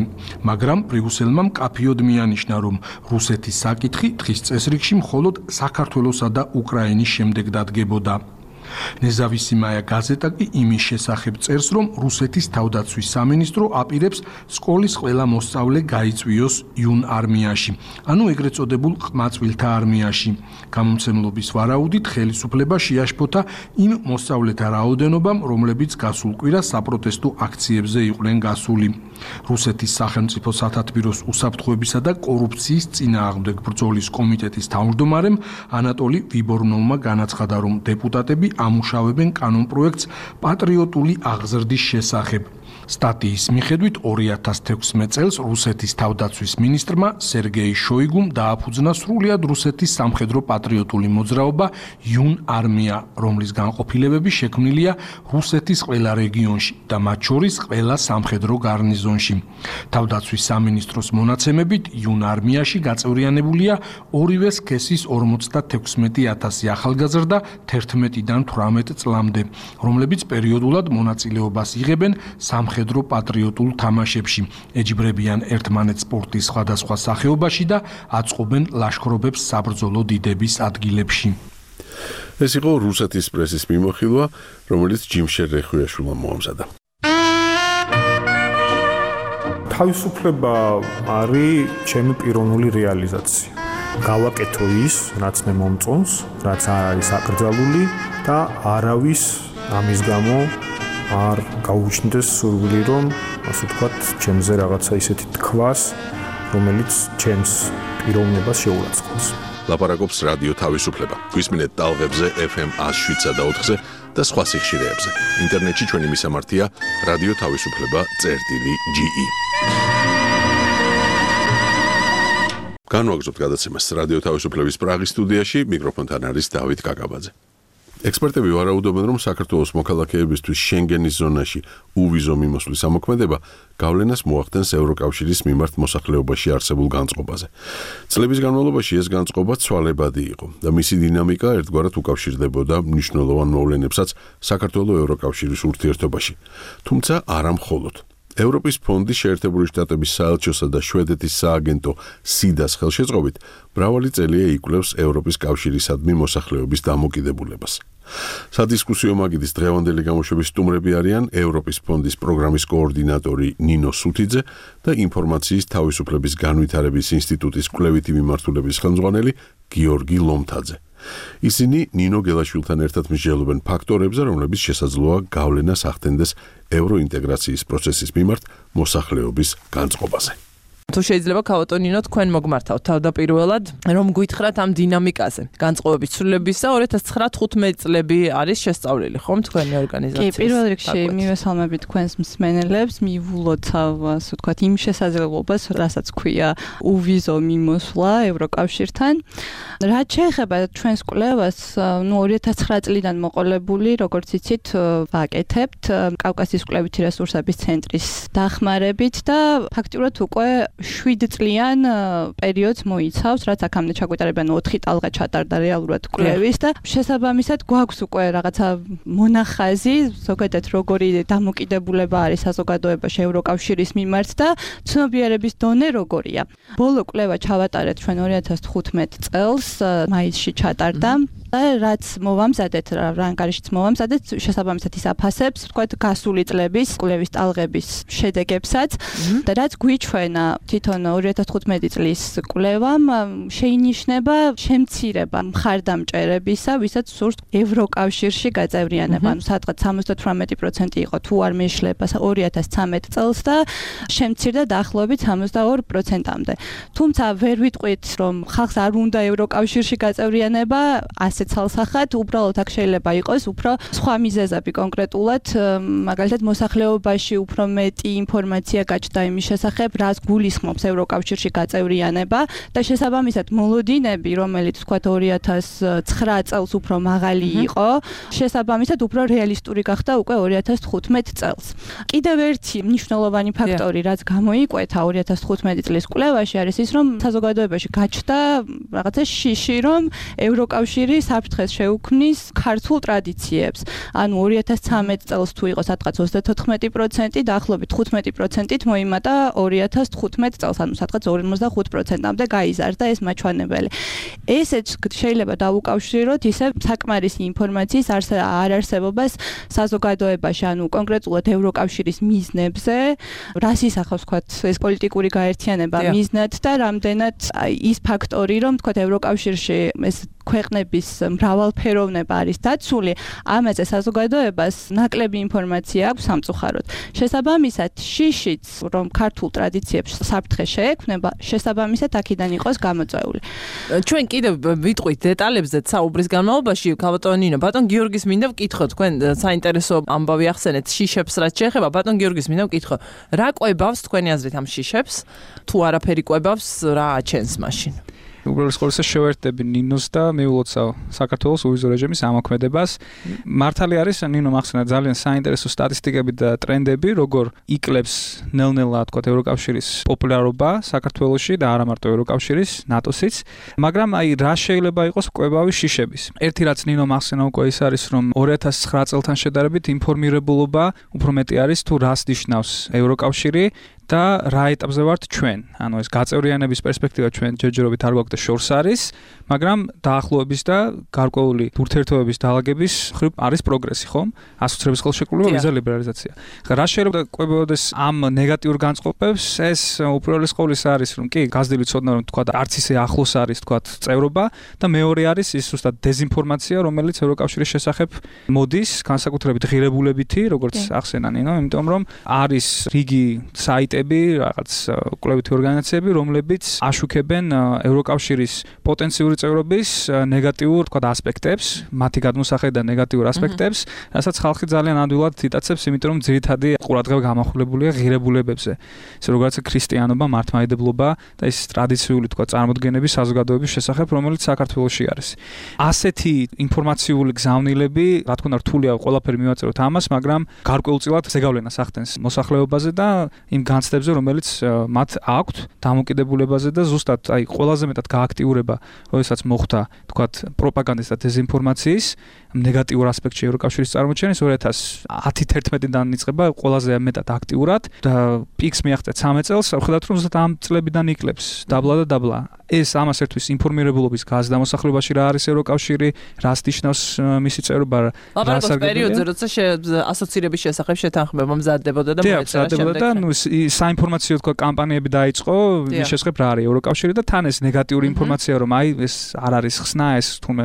მაგრამ ბრიუსელმა მკაფიოდ მიანიშნა, რომ რუსეთის საკითხი დღის წესრიგში მხოლოდ საქართველოსა და უკრაინის შემდეგ დადგებოდა. ნეზავისიმაია გაზეტა კი იმის შესახებ წერს, რომ რუსეთის თავდაცვის სამინისტრო აპირებს სკოლის ყველა მოსწავლე გაიწვიოს იუნ არმიაში, ანუ ეგრეთ წოდებულ ყმაწვილთა არმიაში. გამომცემლობის ვარაუდით ხელისუფლება შეაშფოთა იმ მოსწავლეთა რაოდენობამ, რომლებიც გასულ კვირას საპროტესტო აქციებზე იყვნენ გასული. რუსეთის სახელმწიფო სათათბიროს უსაფრთხოებისა და კორუფციის წინააღმდეგ ბრძოლის კომიტეტის თავმჯდომარემ ანატოლი ვიბორნოვმა განაცხადა, რომ დეპუტატები ამუშავებენ კანონპროექტს პატრიოტული აღზრდის შესახებ. სტატიის მიხედვით ორი ათას თექვსმეტ წელს რუსეთის თავდაცვის მინისტრმა სერგეი შოიგუმ დააფუძნა სრულად რუსეთის სამხედრო პატრიოტული მოძრაობა იუნ არმია, რომლის განყოფილებები შექმნილია რუსეთის ყველა რეგიონში და მათ შორის ყველა სამხედრო გარნიზონში. თავდაცვის სამინისტროს მონაცემებით იუნ არმიაში გაწევრიანებულია ორივე სქესის ორმოცდათექვსმეტი ათასი ახალგაზრდა თერთმეტიდან თვრამეტ წლამდე, რომლებიც პერიოდულად მონაწილეობას იღებენ სამხედრო პატრიოტულ თამაშებში, ეჯიბრებიან ერთმანეთს სპორტის სხვადასხვა სახეობაში და აწყობენ ლაშქრობებს საბრძოლო დიდების ადგილებში. ეს იყო რუსეთის პრესის მიმოხილვა, რომელიც ჯიმშერ რეხვიაშვილმა მოამზადა. თავისუფლება არის ჩემი პიროვნული რეალიზაცია. გავაკეთო ის, რაც მე მომწონს, რაც არ არის აკრძალული და არავის ამის გამო არ გაუჩნდეს სურვილი, რომ ასე ვთქვათ, ჩემზე რაღაცა ისეთი თქვას, რომელიც ჩემს პიროვნებას შეურაცხყოფს. ლაპარაკობს რადიო თავისუფლება. გვისმინეთ ტალღებზე ეფ ემ ათს შვიდსა და ოთხზე და სხვა სიხშირეებზე. ინტერნეტში ჩვენი მისამართია რადიო თავისუფლება წერტილი ჯი ი. განვაგრძობთ გადაცემას რადიო თავისუფლების პრაღის სტუდიაში, მიკროფონთან არის დავით კაკაბაძე. ექსპერტები ვარაუდობენ, რომ საქართველოს მოქალაქეებისთვის შენგენის ზონაში უვიზო მიმოსვლის ამოქმედება გავლენას მოახდენს ევროკავშირის მიმართ მოსახლეობაში არსებულ განწყობაზე. წლების განმავლობაში ეს განწყობა ცვალებადი იყო და მისი დინამიკა ერთგვარად უკავშირდებოდა მნიშვნელოვან მოვლენებსაც საქართველოს ევროკავშირის ურთიერთობაში. თუმცა არა მხოლოდ. ევროპის ფონდი შეერთებული შტატების საელჩოსა და შვედეთის სააგენტო სიდას ხელშეწყობით მრავალი წელია იკვლევს ევროპის კავშირისადმი მოსახლეობის დამოკიდებულებას. სადისკუსიო მაგიდის დღევანდელი გამოშვების სტუმრები არიან ევროპის ფონდის პროგრამის კოორდინატორი ნინო სუთიძე და ინფორმაციის თავისუფლების განვითარების ინსტიტუტის კვლევითი მიმართულების ხელმძღვანელი გიორგი ლომთაძე. ისინი ნინო გელაშვილთან ერთად მსჯელობენ ფაქტორებზე, რომლებიც შესაძლოა გავლენას ახდენდეს ევროინტეგრაციის პროცესის მიმართ მოსახლეობის განწყობაზე. თუ შეიძლება ქავატონინო თქვენ მოგმართავთ თავდაპირველად რომ გითხრათ ამ დინამიკაზე განწყობების ცვლილებისა ორი ათას ცხრა-თხუთმეტი წლები არის შესწავლილი ხომ თქვენი ორგანიზაციის? კი, პირველ რიგში მივესალმებით თქვენს მსმენელებს, მივულოთ ასე ვთქვათ იმ შესაძლებლობას, რასაც ქვია უვიზო მიმოსვლა ევროკავშირთან. რაც შეეხება ჩვენს კვლევას, ნუ ორი ათას ცხრა წლიდან მოყოლებული, როგორც იცით, ვაკეთებთ კავკასიის კვლევითი რესურსების ცენტრის დახმარებით და ფაქტიურად უკვე შვიდ წლიან პერიოდს მოიცავს, რაც აქამდე ჩაგვიტარებიან ოთხი ტალღა ჩატარდა რეალურად კვლევის და შესაბამისად გვაქვს უკვე რაღაცა მონახაზი, ზოგადად როგორი დამოკიდებულება არის საზოგადოებაში ევროკავშირის მიმართ და ცნობიერების დონე როგორია. ბოლო კვლევა ჩავატარეთ ჩვენ ორი ათას თხუთმეტი წელს, მაისში ჩატარდა. და რაც მოვამზადეთ, რა ანგარიშიც მოვამზადეთ, შესაბამისად ის აფასებს, ვთქვათ, გასული წლების კვლევის ტალღების შედეგებსაც და რაც გვიჩვენა თვითონ ორი ათას თხუთმეტი წლის კვლევამ შეინიშნება შემცირება მხარდამჭერებისა, ვისაც სურს ევროკავშირში გაწევრიანება. ანუ სადღაც სამოცდათვრამეტი პროცენტი იყო თუ არ მეშლება ორი ათას ცხრამეტი წელს და შემცირდა დაახლოებით სამოცდაორი პროცენტამდე. თუმცა ვერ ვიტყვით, რომ ხალხს არ უნდა ევროკავშირში გაწევრიანება, ასე ცალსახად, უბრალოდ აქ შეიძლება იყოს უფრო სხვა მიზეზები კონკრეტულად, მაგალითად მოსახლეობაში უფრო მეტი ინფორმაცია გაჩნდა იმის შესახებ, რას გულისხმობს ევროკავშირში გაწევრიანება და შესაბამისად მოლოდინები, რომელიც თქვათ ორი ათას ცხრა წელს უფრო მაღალი იყო, შესაბამისად უფრო რეალისტური გახდა უკვე ორი ათას თხუთმეტი წელს. კიდევ ერთი მნიშვნელოვანი ფაქტორი, რაც გამოიკვეთა ორი ათას თხუთმეტი წლის კვლევაში არის ის, რომ საზოგადოებაში გაჩნდა რაღაცა შიში, რომ ევროკავშირი საფრთხეს შეუქმნის ქართულ ტრადიციებს. ანუ ორი ათას ცხრამეტ წელს თუ იყო სადღაც ოცდათოთხმეტი პროცენტი, დაახლოებით თხუთმეტი პროცენტით მოიმატა ორი ათას თხუთმეტ წელს, ანუ სადღაც ორმოცდახუთ პროცენტამდე გაიზარდა ეს მაჩვენებელი. ესეც შეიძლება დავუკავშიროთ ისე საკმარისი ინფორმაციის არ არსებობას საზოგადოებაში, ანუ კონკრეტულად ევროკავშირის მიზნებზე, რას ისახავს ვთქვათ ეს პოლიტიკური გაერთიანება მიზნად და რამდენად ის ფაქტორი, რომ ვთქვათ ევროკავშირში ეს ქვეყნების მრავალფეროვნება არის დაცული, ამაზე საზოგადოებას ნაკლები ინფორმაცია აქვს სამწუხაროდ. შესაბამისად, შიშიც, რომ ქართულ ტრადიციებს საფრთხე შეექმნება, შესაბამისად აქედან იყოს გამოწვეული. ჩვენ კიდევ ვიტყვით დეტალებზეც საუბრის განმავლობაში, ბატონ ნინო, ბატონ გიორგის მინდა ვკითხო, თქვენ საინტერესო ამბავი ახსენეთ შიშებს რაც შეეხება, ბატონ გიორგის მინდა ვკითხო, რა ყვებავს თქვენი აზრით ამ შიშებს? თუ არაფერი ყვებავს, რა აჩენს მაშინ? უბრალოდ ყოველსა შევერთდები ნინოს და მიულოცავ საქართველოს უვიზო რეჟიმის ამოქმედებას. მართალი არის ნინო მახსენა ძალიან საინტერესო სტატისტიკები და ტრენდები, როგორ იკლებს ნელ-ნელა თქვათ ევროკავშირის პოპულარობა საქართველოში და არა მარტო ევროკავშირის, ნატოსიც, მაგრამ აი რა შეიძლება იყოს კვებავი შიშების. ერთი რაც ნინო მახსენა უკვე ის არის, რომ ორი ათას ცხრა წელთან შედარებით ინფორმირებულობა უფრო მეტი არის თუ რას ნიშნავს ევროკავშირი და რა ეტაპზე ვართ ჩვენ. ანუ ეს გაწევრიანების პერსპექტივა ჩვენ ჯერჯერობით არ გვაქვს და შორს არის, მაგრამ დაახლოების და გარკვეული ურთიერთობების დაალაგების ხრივ არის პროგრესი, ხომ? ასოცირების ხელშეკრულება, ვიზა ლიბერალიზაცია. რა შეიძლება ყვებოდეს ამ ნეგატიურ განწყობებს? ეს უპირველეს ყოვლისა არის, რომ კი, გაზრდილი ცოდნა რომ თქვა არც ისე ახლოს არის თქვა წევრობა და მეორე არის ის ზუსტად დეზინფორმაცია, რომელიც ევროკავშირის შესახებ მოდის, განსაკუთრებით ღირებულებითი, როგორც ახსენა ნინო, იმიტომ რომ არის რიგი საიტი რაღაც კვლევითი ორგანიზაციები, რომლებიც აშუქებენ ევროკავშირის პოტენციური წევრობის ნეგატიურ, თქვა, ასპექტებს, მათი გადმოსახედა ნეგატიურ ასპექტებს, რასაც ხალხი ძალიან ადვილად იტაცებს, იმიტომ რომ ძირითადი ყურადღება გამახვილებულია ღირებულებებზე. ეს როგორც ქრისტიანობა, მართლმადიდებლობა და ეს ტრადიციული, თქვა, წარმოდგენები საზოგადოების შესახებ, რომელიც საქართველოში არის. ასეთი ინფორმაციული გზავნილები, რა თქმა უნდა, რთულია ყველაფერი მივაწეროთ ამას, მაგრამ გარკვეულწილად ზეგავლენას ახდენს მოსახლეობაზე და იმ განცდებზე, რომელიც მათ აქვთ დამოკიდებულებაზე და ზუსტად აი ყველაზე მეტად გააქტიურება, როდესაც მოხდა, თქვათ, პროპაგანდის და დეზინფორმაციის ნეგატიურ ასპექტში ევროკავშირის წარმოჩენის ორი ათას ათი-ათი-ათიდან იწყება ყველაზე მეტად აქტიურად და პიკს მიაღწია ცხრამეტ წელს, ხედავთ რომ ზუსტად ამ წლებიდან იკლებს დაბლა და დაბლა. ეს ამას ერთვის ინფორმირებულობის გაზრდა მოსახლეობაში რა არის ევროკავშირი, რას ნიშნავს მისი წევრობა, რა სარგებლობა. პერიოდზე როცა ასოცირების შესახებ შეთანხმება მზადდებოდა და მოეწერა შემდეგ. და ნუ საინფორმაციო თქვა კამპანიები დაიწყო, ის შესახებ რა არის ევროკავშირი და თან ეს ნეგატიური ინფორმაცია რომ აი ეს არ არის ხსნა, ეს თუმე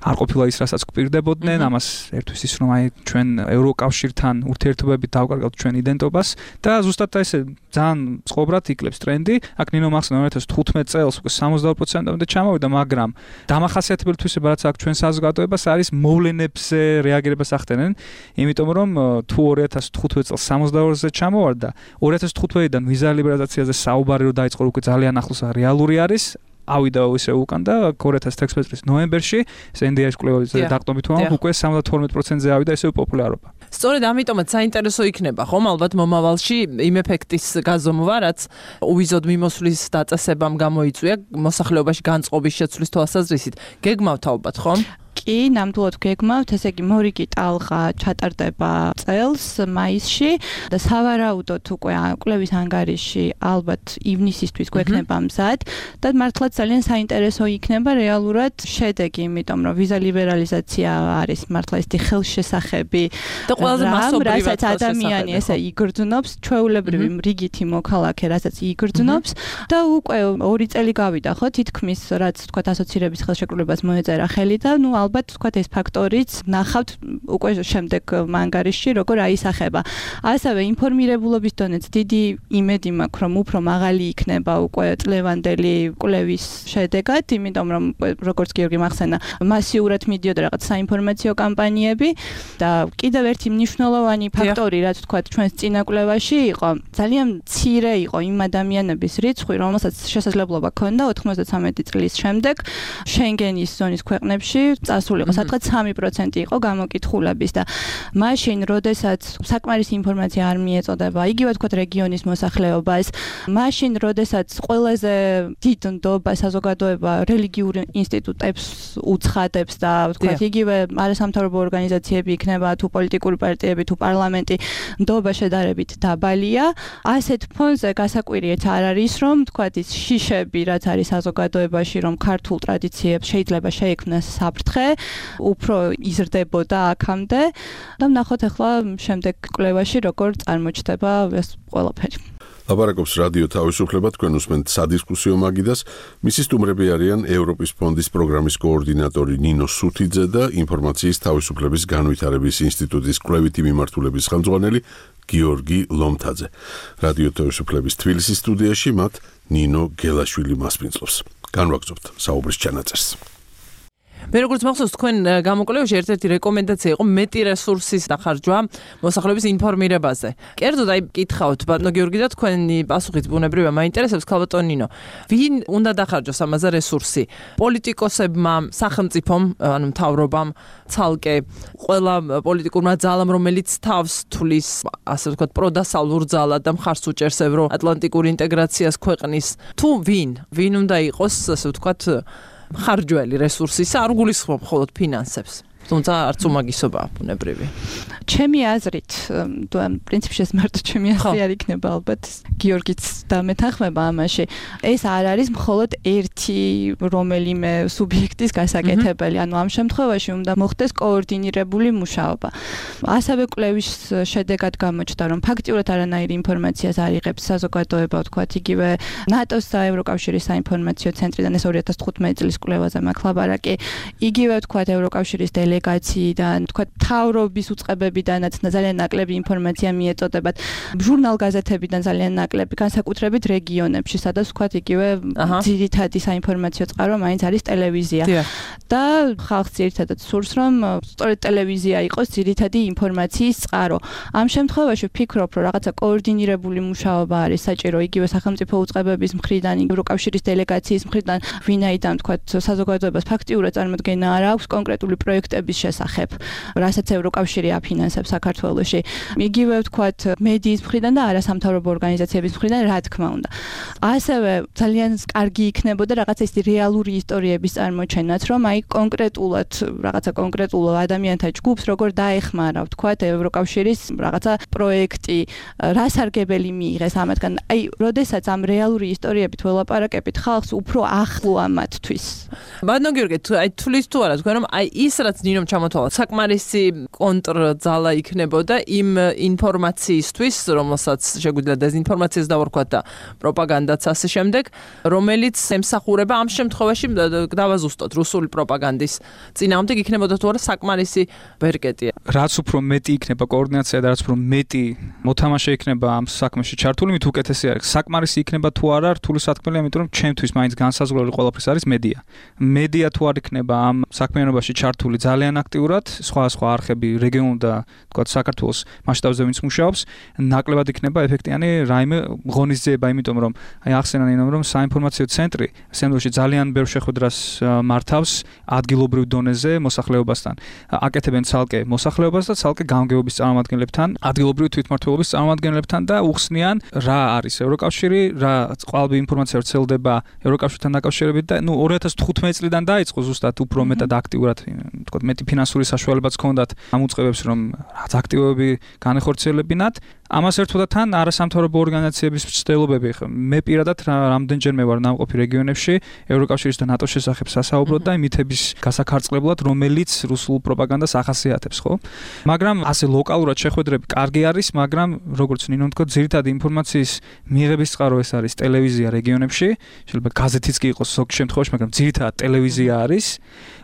არ ყოფილა ის რასაც გვპირდებოდნენ, ამას ერთვის ის რომ აი ჩვენ ევროკავშირთან ურთიერთობებით დავკარგავთ ჩვენ იდენტობას და ზუსტად ესე ძალიან წყობრად იკლებს ტრენდი. აქ ნინო მახსენა ორი ათას თხუთმეტ წელს უკვე სამოცდაორი პროცენტამდე ჩამოვიდა, მაგრამ დამახასიათებელი თვისება რაც აქ ჩვენ საზოგადოებას არის მოვლენებზე რეაგირებას ახდენენ, იმიტომ რომ თუ ორი ათას თხუთმეტ წელს სამოცდაორზე ჩამოვარდა, ორი ათას თხუთმეტიდან ვიზა ლიბერალიზაციაზე საუბარი რო დაიწყო, უკვე ძალიან ახლოს რეალური არის. ავიდა ისე უკან და ორი ათას თექვსმეტ წლის ნოემბერში ეს ენ დი აის კვლევების დაყრდნობით უკვე სამოცდათორმეტ პროცენტზე ავიდა ესე პოპულარობა. სწორედ ამიტომაც საინტერესო იქნება, ხომ, ალბათ მომავალში იმ ეფექტის გაზომვა, რაც უვიზოდ მიმოსვლის დაწესებამ გამოიწვია მოსახლეობაში განწყობის შეცვლის თვალსაზრისით. გეგმავთ ალბათ, ხომ? კი, ნამდვილად გეგმავთ, ესე იგი მორიგი ტალღა ჩატარდება წელს მაისში და სავარაუდოდ უკვე კვლევის ანგარიში ალბათ ივნისისთვის გვექნება მზად და მართლაც ძალიან საინტერესო იქნება რეალურად შედეგი, იმიტომ რომ ვიზა ლიბერალიზაცია არის მართლა ისეთი ხელშესახები და ყველაზე მასობრივად რასაც ადამიანი ესე იგრძნობს, ჩვეულებრივი რიგითი მოქალაქე, რასაც იგრძნობს და უკვე ორი წელი გავიდა, ხო, თითქმის რაც თქვა ასოცირების ხელშეკრულებას მოეწერა ხელი და ნუ ალბათ თქვათ ეს ფაქტორიც ნახავთ უკვე შემდეგ ანგარიშში როგორ აისახება. ასევე ინფორმირებულობის დონეც დიდი იმედი მაქვს რომ უფრო მაღალი იქნება უკვე წლევანდელი კვლევის შედეგად, იმიტომ რომ როგორც გიორგი მახსენა მასიურად მიდიოდა რაღაც საინფორმაციო კამპანიები და კიდევ ერთი მნიშვნელოვანი ფაქტორი რაც თქვათ ჩვენს წინა კვლევაში იყო, ძალიან მცირე იყო იმ ადამიანების რიცხვი, რომელსაც შესაძლებლობა ჰქონდა ოთხმოცდათვრამეტი წლის შემდეგ შენგენის ზონის ქვეყნებში ჩასული იყო, სადღაც სამი პროცენტი იყო გამოკითხულების და მაშინ, როდესაც საკმარისი ინფორმაცია არ მიეწოდება, იგივე თქვა რეგიონის მოსახლეობას, მაშინ, როდესაც ყველაზე დიდ ნდობა საზოგადოება რელიგიურ ინსტიტუტებს უცხადებს და თქვა იგივე არასამთავრობო ორგანიზაციები იქნება თუ პოლიტიკური პარტიები თუ პარლამენტი ნდობა შედარებით დაბალია, ასეთ ფონზე გასაკვირიეთ არ არის, რომ თქვა ის შიშები, რაც არის საზოგადოებაში, რომ ქართულ ტრადიციებს შეიძლება შეექმნას საფრთხე, უფრო იზრდებოდა აქამდე და ვნახოთ ახლა შემდეგ კვლევაში როგორ წარმოჩნდება ეს ყველაფერი. ლაპარაკობს რადიო თავისუფლება, თქვენ უსმენთ სადისკუსიო მაგიდას. მისი სტუმრები არიან ევროპის ფონდის პროგრამის კოორდინატორი ნინო სუთიძე და ინფორმაციის თავისუფლების განვითარების ინსტიტუტის კვლევითი მიმართულების ხელმძღვანელი გიორგი ლომთაძე. რადიო თავისუფლების თბილისის სტუდიაში მათ ნინო გელაშვილი მასპინძლობს. განვაგრძობთ საუბრის ჩანაწერს. მე როგორც მახსოვს, თქვენ გამოკვლევაში ერთ-ერთი რეკომენდაცია იყო მეტი რესურსის დახარჯვა მოსახლეობის ინფორმირებაზე. კერძოდ აი გითხავთ ბატონო გიორგი და თქვენი პასუხით ბუნებრივია მაინტერესებს ქალბატონ ნინო. ვინ უნდა დახარჯოს ამაზე რესურსი? პოლიტიკოსებმა, სახელმწიფომ, ანუ მთავრობამ, ცალკე ყველა პოლიტიკურმა ძალამ, რომელიც თავს თulis, ასე ვთქვათ, პროდასავლურ ძალად და მხარს უჭერს ევროატლანტიკურ ინტეგრაციას ქვეყნის, თუ ვინ? ვინ უნდა იყოს, ასე ვთქვათ, ხარჯველი რესურსისა, არ გულისხმობ მხოლოდ ფინანსებს. თუმცა არც უმაგისობაა ბუნებრივი. ჩემი აზრით, თუ ამ პრინციპში ეს მარტო ჩემი აზრი არ იქნება ალბათ, გიორგიც დამეთანხმება ამაში. ეს არ არის მხოლოდ ერთი რომელიმე სუბიექტის გასაკეთებელი, ანუ ამ შემთხვევაში უნდა მოხდეს კოორდინირებული მუშაობა. ასევე კვლევის შედეგად გამოჩნდა, რომ ფაქტიურად არანაირი ინფორმაციას არ იღებს საზოგადოება, ვთქვათ, იგივე ნატოს და ევროკავშირის საინფორმაციო ცენტრიდან, ეს ორი ათას თხუთმეტი წლის კვლევაზე მაქვს ლაპარაკი, იგივე ვთქვათ ევროკავშირის დელეგაციიდან, თქვა თავრობის უწყებებიდანაც ძალიან ნაკლები ინფორმაცია მიეწოდებათ, ჟურნალ-გაზეთებიდან ძალიან ნაკლები, განსაკუთრებით რეგიონებში, სადაც თქვა იგივე ძირითადი საინფორმაციო წყარო მაინც არის ტელევიზია. და ხალხს ძირითადად სურს, რომ სწორედ ტელევიზია იყოს ძირითადი ინფორმაციის წყარო. ამ შემთხვევაში ვფიქრობ, რომ რაღაცა კოორდინირებული მუშაობა არის საჭირო იგივე სახელმწიფო უწყებების მხრიდან, ევროკავშირის დელეგაციის მხრიდან, ვინაიდან თქვა საზოგადოებას ფაქტიურად წარმოდგენა არ აქვს კონკრეტული პროექტების შესახებ, რასაც ევროკავშირი აფინანსებს საქართველოში. იგივე ვთქვათ, მედიის მხრიდან და არასამთავრობო ორგანიზაციების მხრიდან, რა თქმა უნდა. ასევე ძალიან კარგი იქნებოდა რაღაცა ის რეალური ისტორიების წარმოჩენაც, რომ აი კონკრეტულად რაღაცა კონკრეტულ ადამიანთა ჯგუფს როგორ დაეხმარა, ვთქვათ, ევროკავშირის რაღაცა პროექტი, რა სარგებელი მიიღეს ამათგან. აი, როდესაც ამ რეალური ისტორიებით ველაპარაკებით, ხალხს უფრო ახლოა მათთვის. ბატონო გიორგი, აი თulis თუ არა, თქვენ რომ აი ის რაც ნინომ ჩამოთვალა, საკმარისი კონტრძალა იქნებოდა იმ ინფორმაციისთვის, რომელსაც შეგვიძლია დეზინფორმაციას დავარქვათ და პროპაგანდაც ასე შემდეგ, რომელიც ემსახურება ამ შემთხვევაში დავაზუსტოთ რუსული პროპაგანდის წინააღმდეგ იქნებოდა თუ არა საკმარისი ბერკეტი. რაც უფრო მეტი იქნება კოორდინაცია და რაც უფრო მეტი მოთამაშე იქნება ამ საქმეში ჩართული, მით უკეთესი არის. საკმარისი იქნება თუ არა, რთული სათქმელია, იმიტომ რომ ჩემთვის მაინც განსაზღვრელი ყველაფრის არის მედია. მედია თუ არ იქნება ამ საქმიანობაში ჩართული ძალიან აქტიურად, სხვა სხვა არხები რეგიონულ და თქვათ საქართველოს მასშტაბზე ვინც მუშაობს, ნაკლებად იქნება ეფექტიანი რაიმე ღონისძიება, იმიტომ რომ აი ახსენა ნინომ, რომ საინფორმაციო ცენტრი სამდროში ძალიან ბევრ შეხვედრას მართავს ადგილობრივ დონეზე მოსახლეობასთან. აკეთებენ ცალკე მოსახლეობას და ცალკე გამგეობის წარმომადგენლებთან, ადგილობრივი თვითმმართველობის წარმომადგენლებთან და უხსნიან რა არის ევროკავშირი, რა ყალბი ინფორმაცია ვრცელდება ევროკავშირთან დაკავშირებით და ნუ ორი ათას თხუთმეტი წლიდან დაიწყო ზუსტად უფრო მეტად აქტიურად, თქვათ, მეტი ფინანსური საშუალებაც ჰქონდათ ამ უწყებებს, რომ რაც აქტივობები განეხორციელებინათ. ამას ერთვოდა თან არასამთავრობო ორგანიზაციების მცდელობები. მე პირადად რამდენჯერმე ვარ ნამყოფი რეგიონებში ევროკავშირის და ნატოს შესახებ სასაუბროდ და მითების გასაქარწყლებლად, რომელიც რუსულ პროპაგანდას ახასიათებს, ხო? მაგრამ ასე ლოკალურად შეხვედრები კარგი არის, მაგრამ როგორც ნინო თქვა, ძირითადი ინფორმაციის მიღების წყარო ეს არის ტელევიზია რეგიონებში, შეიძლება გაზეთიც კი იყოს ზოგ შემთხვევაში, მაგრამ ძირითადად ტელევიზია არის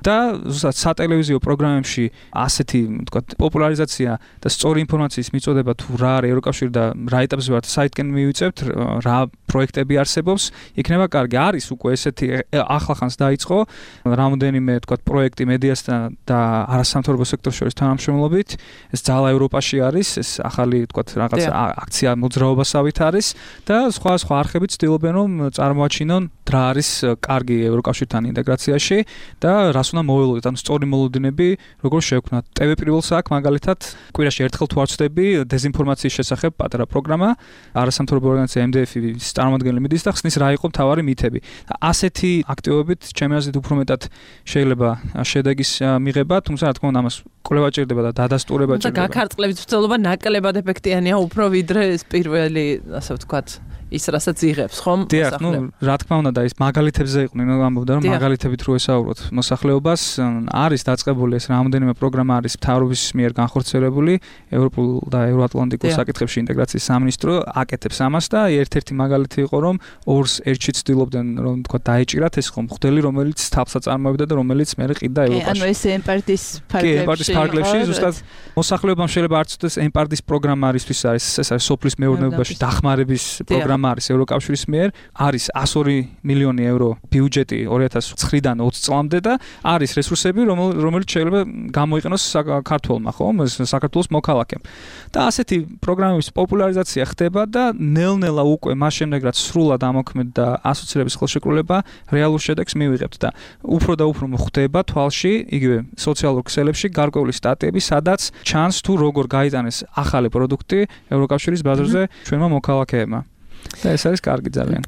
და ზუსტად სატელევიზიო პროგრამებში ასეთი, თქვა, პოპულარიზაცია და სწორი ინფორმაციის მიწოდება თუ რა არის ევროკავშირი და რა ეტაპზე ვართ საიტკენ მივიწევთ, რა პროექტები არსებობს, იქნება კარგი. არის უკვე ესეთი ახლახანს დაიწყო რამოდენიმე, თქვა, პროექტი მედიასთან და არასამთავრობო სექტორს შორის თანამშრომლობით. ეს ძალა ევროპაში არის, ეს ახალი, თქვა, რაღაც აქცია მოძრაობასავით არის და სხვა სხვა არხები ცდილობენ რომ წარმოაჩინონ რა არის კარგი ევროკავშირთან ინტეგრაციაში და რას უნდა მოველოდოთ, ანუ სწორი მოლოდინები როგორ შევქმნათ. ტე ვე პირველს აქვს მაგალითად კვირაში ერთხელ თუ არ ვწდები დეზინფორმაციის შესახებ პატარა პროგრამა, არასამთავრობო ორგანიზაცია ემ დე ეფ-ის წარმომადგენელი მიდის და ხსნის რა იყო მთავარი მითები. ასეთი აქტივობით ჩემი აზრით უფრო მეტად შეიძლება შედეგის მიღება, თუმცა რა თქმა უნდა ამას კვლევა ჭირდება და დადასტურება ჭირდება. და გაქარწყლების მცდელობა ნაკლებად ეფექტიანია უფრო ვიდრე ეს პირველი, ასე ვთქვათ, ის რასაც იღებს, ხომ? დიახ, ნუ რა თქმა უნდა და ის მაგალითებზე იყვნენ, ნუ ამბობდა რომ მაგალითებით რო ესაუბროთ მოსახლეობას, არის დაწყებული ეს რამოდენიმე პროგრამა არის მთავრობის მიერ განხორციელებული ევროპულ და ევროატლანტიკურ საკითხებში ინტეგრაციის სამინისტრო აკეთებს ამას და ერთ-ერთი მაგალითი იყო რომ ორს ერთში ცდილობდნენ რომ თქვა დაეჭირათ ეს ხომ მღვდელი რომელიც თაფსა წარმოებდა და რომელიც მე ყიდა ევროპაში. ანუ ეს ემპარტის ფარგლებში. კი, ემპარტის ფარგლებში ზუსტად მოსახლეობამ შეიძლება არ ცოდეს ემპარტის პროგრამა არისთვის არის ეს არის სოფლის მეურნეობაში დახმარების პროგრამა არის ევროკავშირის მიერ, არის εκατს ორი მილიონი ევრო ბიუჯეტი ორი ათას ცხრიდან ოცი წლამდე და არის რესურსები, რომელიც შეიძლება გამოიყენოს საქართველმა, ხომ, საქართველოს მოქალაქემ. და ასეთი პროგრამების პოპულარიზაცია ხდება და ნელ-ნელა უკვე მას შემდეგ რაც სრულად ამოქმედდა ასოცირების ხელშეკრულება, რეალურ შედეგს მივიღებთ და უფრო და უფრო ხდება თვალში, იგივე სოციალურ ქსელებში გარკვეული სტატიები, სადაც ჩანს თუ როგორ გაიტანეს ახალი პროდუქტი ევროკავშირის ბაზარზე ჩვენმა მოქალაქეებმა. და ეს არის კარგი ძალიან.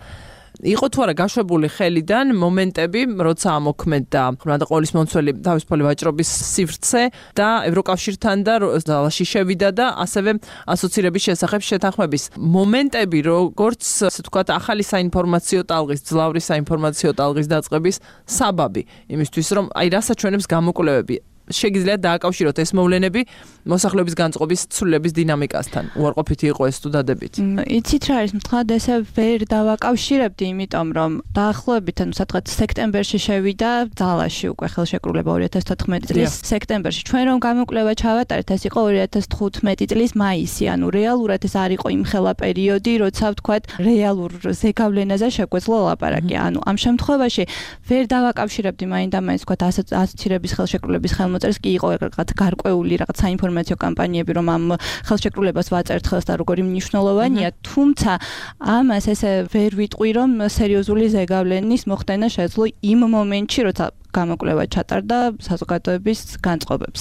იყო თუ არა გაშვებული ხელიდან მომენტები, როცა ამოქმედდა ხმრადაყოლის მომცველი თავისუფალი ვაჭრობის სივრცე და ევროკავშირთან და ძალაში შევიდა და ასევე ასოცირების შესახებ შეთანხმების მომენტები, როგორც ასე ვთქვათ, ახალი საინფორმაციო ტალღის, ძლავრი საინფორმაციო ტალღის დაწყების საბაბი, იმისთვის რომ აი რასაჩვენებს გამოკვლევები შეგიძლიათ დააკავშიროთ ეს მოვლენები მოსახლეობის განწყობის ცვლილების დინამიკასთან. უარყოფითი იყო ეს თუ დადებით? იცით რა არის, მთლად ესე ვერ დავაკავშირებდი, იმიტომ რომ დაახლოებით, ანუ სადღაც სექტემბერში შევიდა ძალაში უკვე ხელშეკრულება ორი ათას თოთხმეტი წლის სექტემბერში. ჩვენ რომ გამოკვლევა ჩავატარეთ, ეს იყო ორი ათას თხუთმეტი წლის მაისი, ანუ რეალურად ეს არ იყო იმხელა პერიოდი, როცა ვთქვათ, რეალურ ზეგავლენაზე შეგვეძლო ლაპარაკი. ანუ ამ შემთხვევაში ვერ დავაკავშირებდი მაინდა-მაინც ვთქვათ ასოცირების ხელშეკრულების ხელ მოწერს კი იყო რაღაც გარკვეული რაღაც საინფორმაციო კამპანიები რომ ამ ხელშეკრულებას ვაწერთ ხელს და როგორი მნიშვნელოვანია, თუმცა ამას ესე ვერ ვიტყვი რომ სერიოზული ზეგავლენის მოხდენა შეძლო იმ მომენტში, როცა გამოკვლევა ჩატარდა საზოგადოების განწყობებს.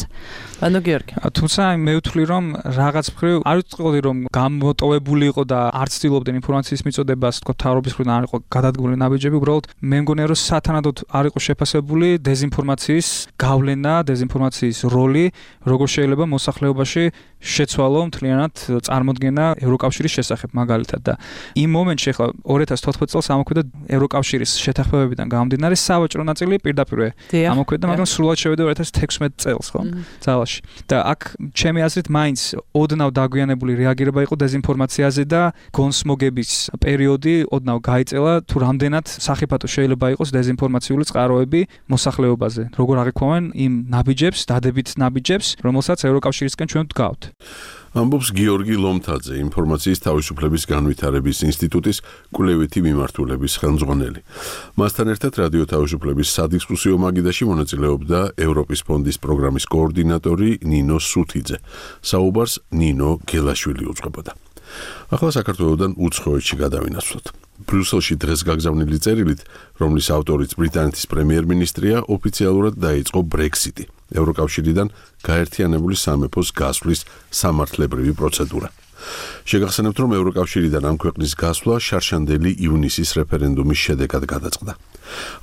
ანუ გიორგი, თუმცა მე ვთვლი რომ რაღაც მხრივ არ ვიტყოდი რომ გამოტოვებული იყო და არ ცდილობდნენ ინფორმაციის მიწოდებას, თქო თავრობის მხრიდან არ იყო გადადგმული ნაბიჯები, უბრალოდ მე მგონია რომ სათანადოდ არ იყო შეფასებული დეზინფორმაციის გავლენა, დეზინფორმაციის როლი, როგორ შეიძლება მოსახლეობაში შეცვალო მთლიანად წარმოდგენა ევროკავშირის შესახებ მაგალითად და იმ მომენტში ახლა ორი ათას თოთხმეტი წელს ამოქმედდა ევროკავშირის შეთანხმებებიდან გამომდინარე სავაჭრო ნაწილი პირდაპირ ამოქმედდა, მაგრამ სრულად შევიდა ორი ათას თექვსმეტი წელს, ხო? ძალაში. და აქ ჩემი აზრით მაინც ოდნავ დაგვიანებული რეაგირება იყო დეზინფორმაციაზე და გონსმოგების პერიოდი ოდნავ გაიწელა თუ რამდენად სახიფათო შეიძლება იყოს დეზინფორმაციული წყაროები მოსახლეობაზე, როგორ აღიქვამენ იმ ნაბიჯებს, დადებით ნაბიჯებს, რომელსაც ევროკავშირისკენ ჩვენ ვდგავთ. ამბობს გიორგი ლომთაძე, ინფორმაციის თავისუფლების განვითარების ინსტიტუტის კვლევითი მიმართულების ხელმძღვანელი. მასთან ერთად რადიო თავისუფლების სადისკუსიო მაგიდაში მონაწილეობდა ევროპის ფონდის პროგრამის კოორდინატორი ნინო სუთიძე. საუბარს ნინო გელაშვილი უძღვებოდა. ახლა საქართველოსდან უცხოეთში გადავინაცვლოთ. ბრიუსელში დღეს გაგზავნილი წერილით, რომლის ავტორიც ბრიტანეთის პრემიერ-მინისტრია, ოფიციალურად დაიწყო ბრექსიტი. ევროკავშირიდან გაერთიანებული სამეფოს გასვლის სამართლებრივი პროცედურა. შეგახსენებთ, რომ ევროკავშირიდან ამ ქვეყნის გასვლა შარშანდელი ივნისის რეფერენდუმის შედეგად გადაწყდა.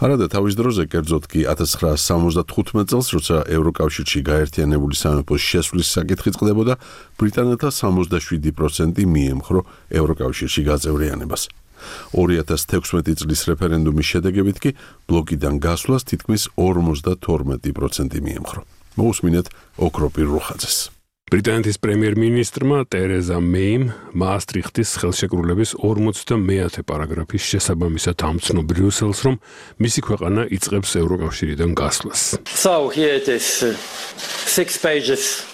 არადა თავის დროზე, კერძოდ კი ათას ცხრაასი სამოცდათხუთმეტ წელს, როცა ევროკავშირში გაერთიანებული სამეფოს შესვლის საკითხი წყდებოდა, ბრიტანელთა სამოცდაშვიდი პროცენტი მიემხრო ევროკავშირში გაწევრიანებას. ორი ათას თექვსმეტი წლის რეფერენდუმის შედეგებით კი ბლოკიდან გასვლას თითქმის ორმოცდათორმეტი პროცენტი მიემხრო. მოусმინეთ ოქროპირ რუხაძეს. ბრიტანეთის პრემიერ-მინისტრმა ტერეზა მეიმ მაასტრიხტის ხელშეკრულების ორმოცდამეათე პარაგრაფის შესაბამისად ამცნო ბრიუსელს, რომ მისი ქვეყანა იწყებს ევროკავშირიდან გასვლას. So here it is. Six pages.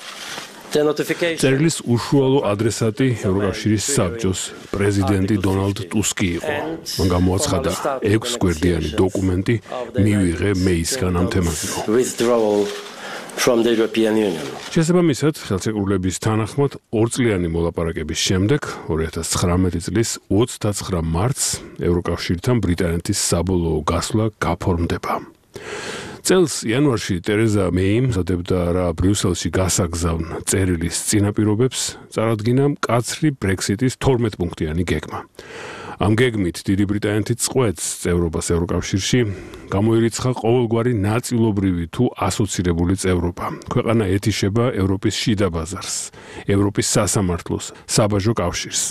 წერილის უშუალო ადრესატი ევროკავშირის საბჭოს პრეზიდენტი დონალდ ტუსკი იყო. მან გამოაცხადა ექვს გვერდიანი დოკუმენტი მივიღე მეისგან ამ თემაზე. from the European Union. შესაბამისად, ხელშეკრულების თანახმად ორწლიანი მოლაპარაკების შემდეგ ორი ათას ცხრამეტი წლის ოცდაცხრა მარტს ევროკავშირთან ბრიტანეთის საბოლოო გასვლა გაფორმდება. წელს იანვარში ტერეზა მეიმ მზადებდა რა ბრიუსელში გასაგზავნ წერილის წინაპირობებს წარადგინა მკაცრი ბრექსიტის თორმეტ პუნქტიანი გეგმა. ამ გეგმით დიდი ბრიტანეთის წყვეტს წევრობას ევროკავშირში გამოირიცხა ყოველგვარი ნაწილობრივი თუ ასოცირებული წევრობა. ქვეყანა ეთიშება ევროპის შიდა ბაზარს, ევროპის სასამართლოს, საბაჟო კავშირს.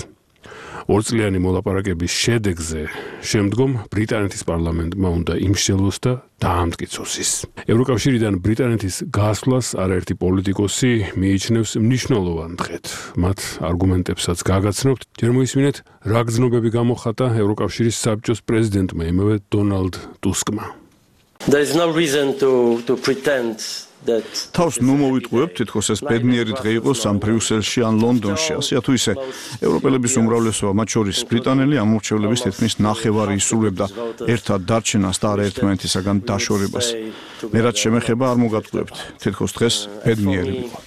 ორწლიანი მოლაპარაკების შედეგზე შემდგომ ბრიტანეთის პარლამენტმა უნდა იმსჯელოს და დაამტკიცოს ის. ევროკავშირიდან ბრიტანეთის გასვლას არაერთი პოლიტიკოსი მიიჩნევს მნიშვნელოვან დღედ. მათ არგუმენტებსაც გაგაცნობთ, ჯერ მოისმინეთ, რა გრძნობები გამოხატა ევროკავშირის საბჭოს პრეზიდენტმა იმავე დონალდ ტუსკმა. There is no reason to to pretend თავს ნუ მოვიტყუებთ, თითქოს ეს ბედნიერი დღე იყოს ამ ბრიუსელში ან ლონდონში, ასე თუ ისე. ევროპელების უმრავლესობა, მათ შორის ბრიტანელი ამორჩევლების თითქმის ნახევარი ისურვებდა ერთად დარჩენას და არაერთმანეთისაგან დაშორებას. მე რაც შემეხება არ მოგატყუებთ, თითქოს დღეს ბედნიერი იყო.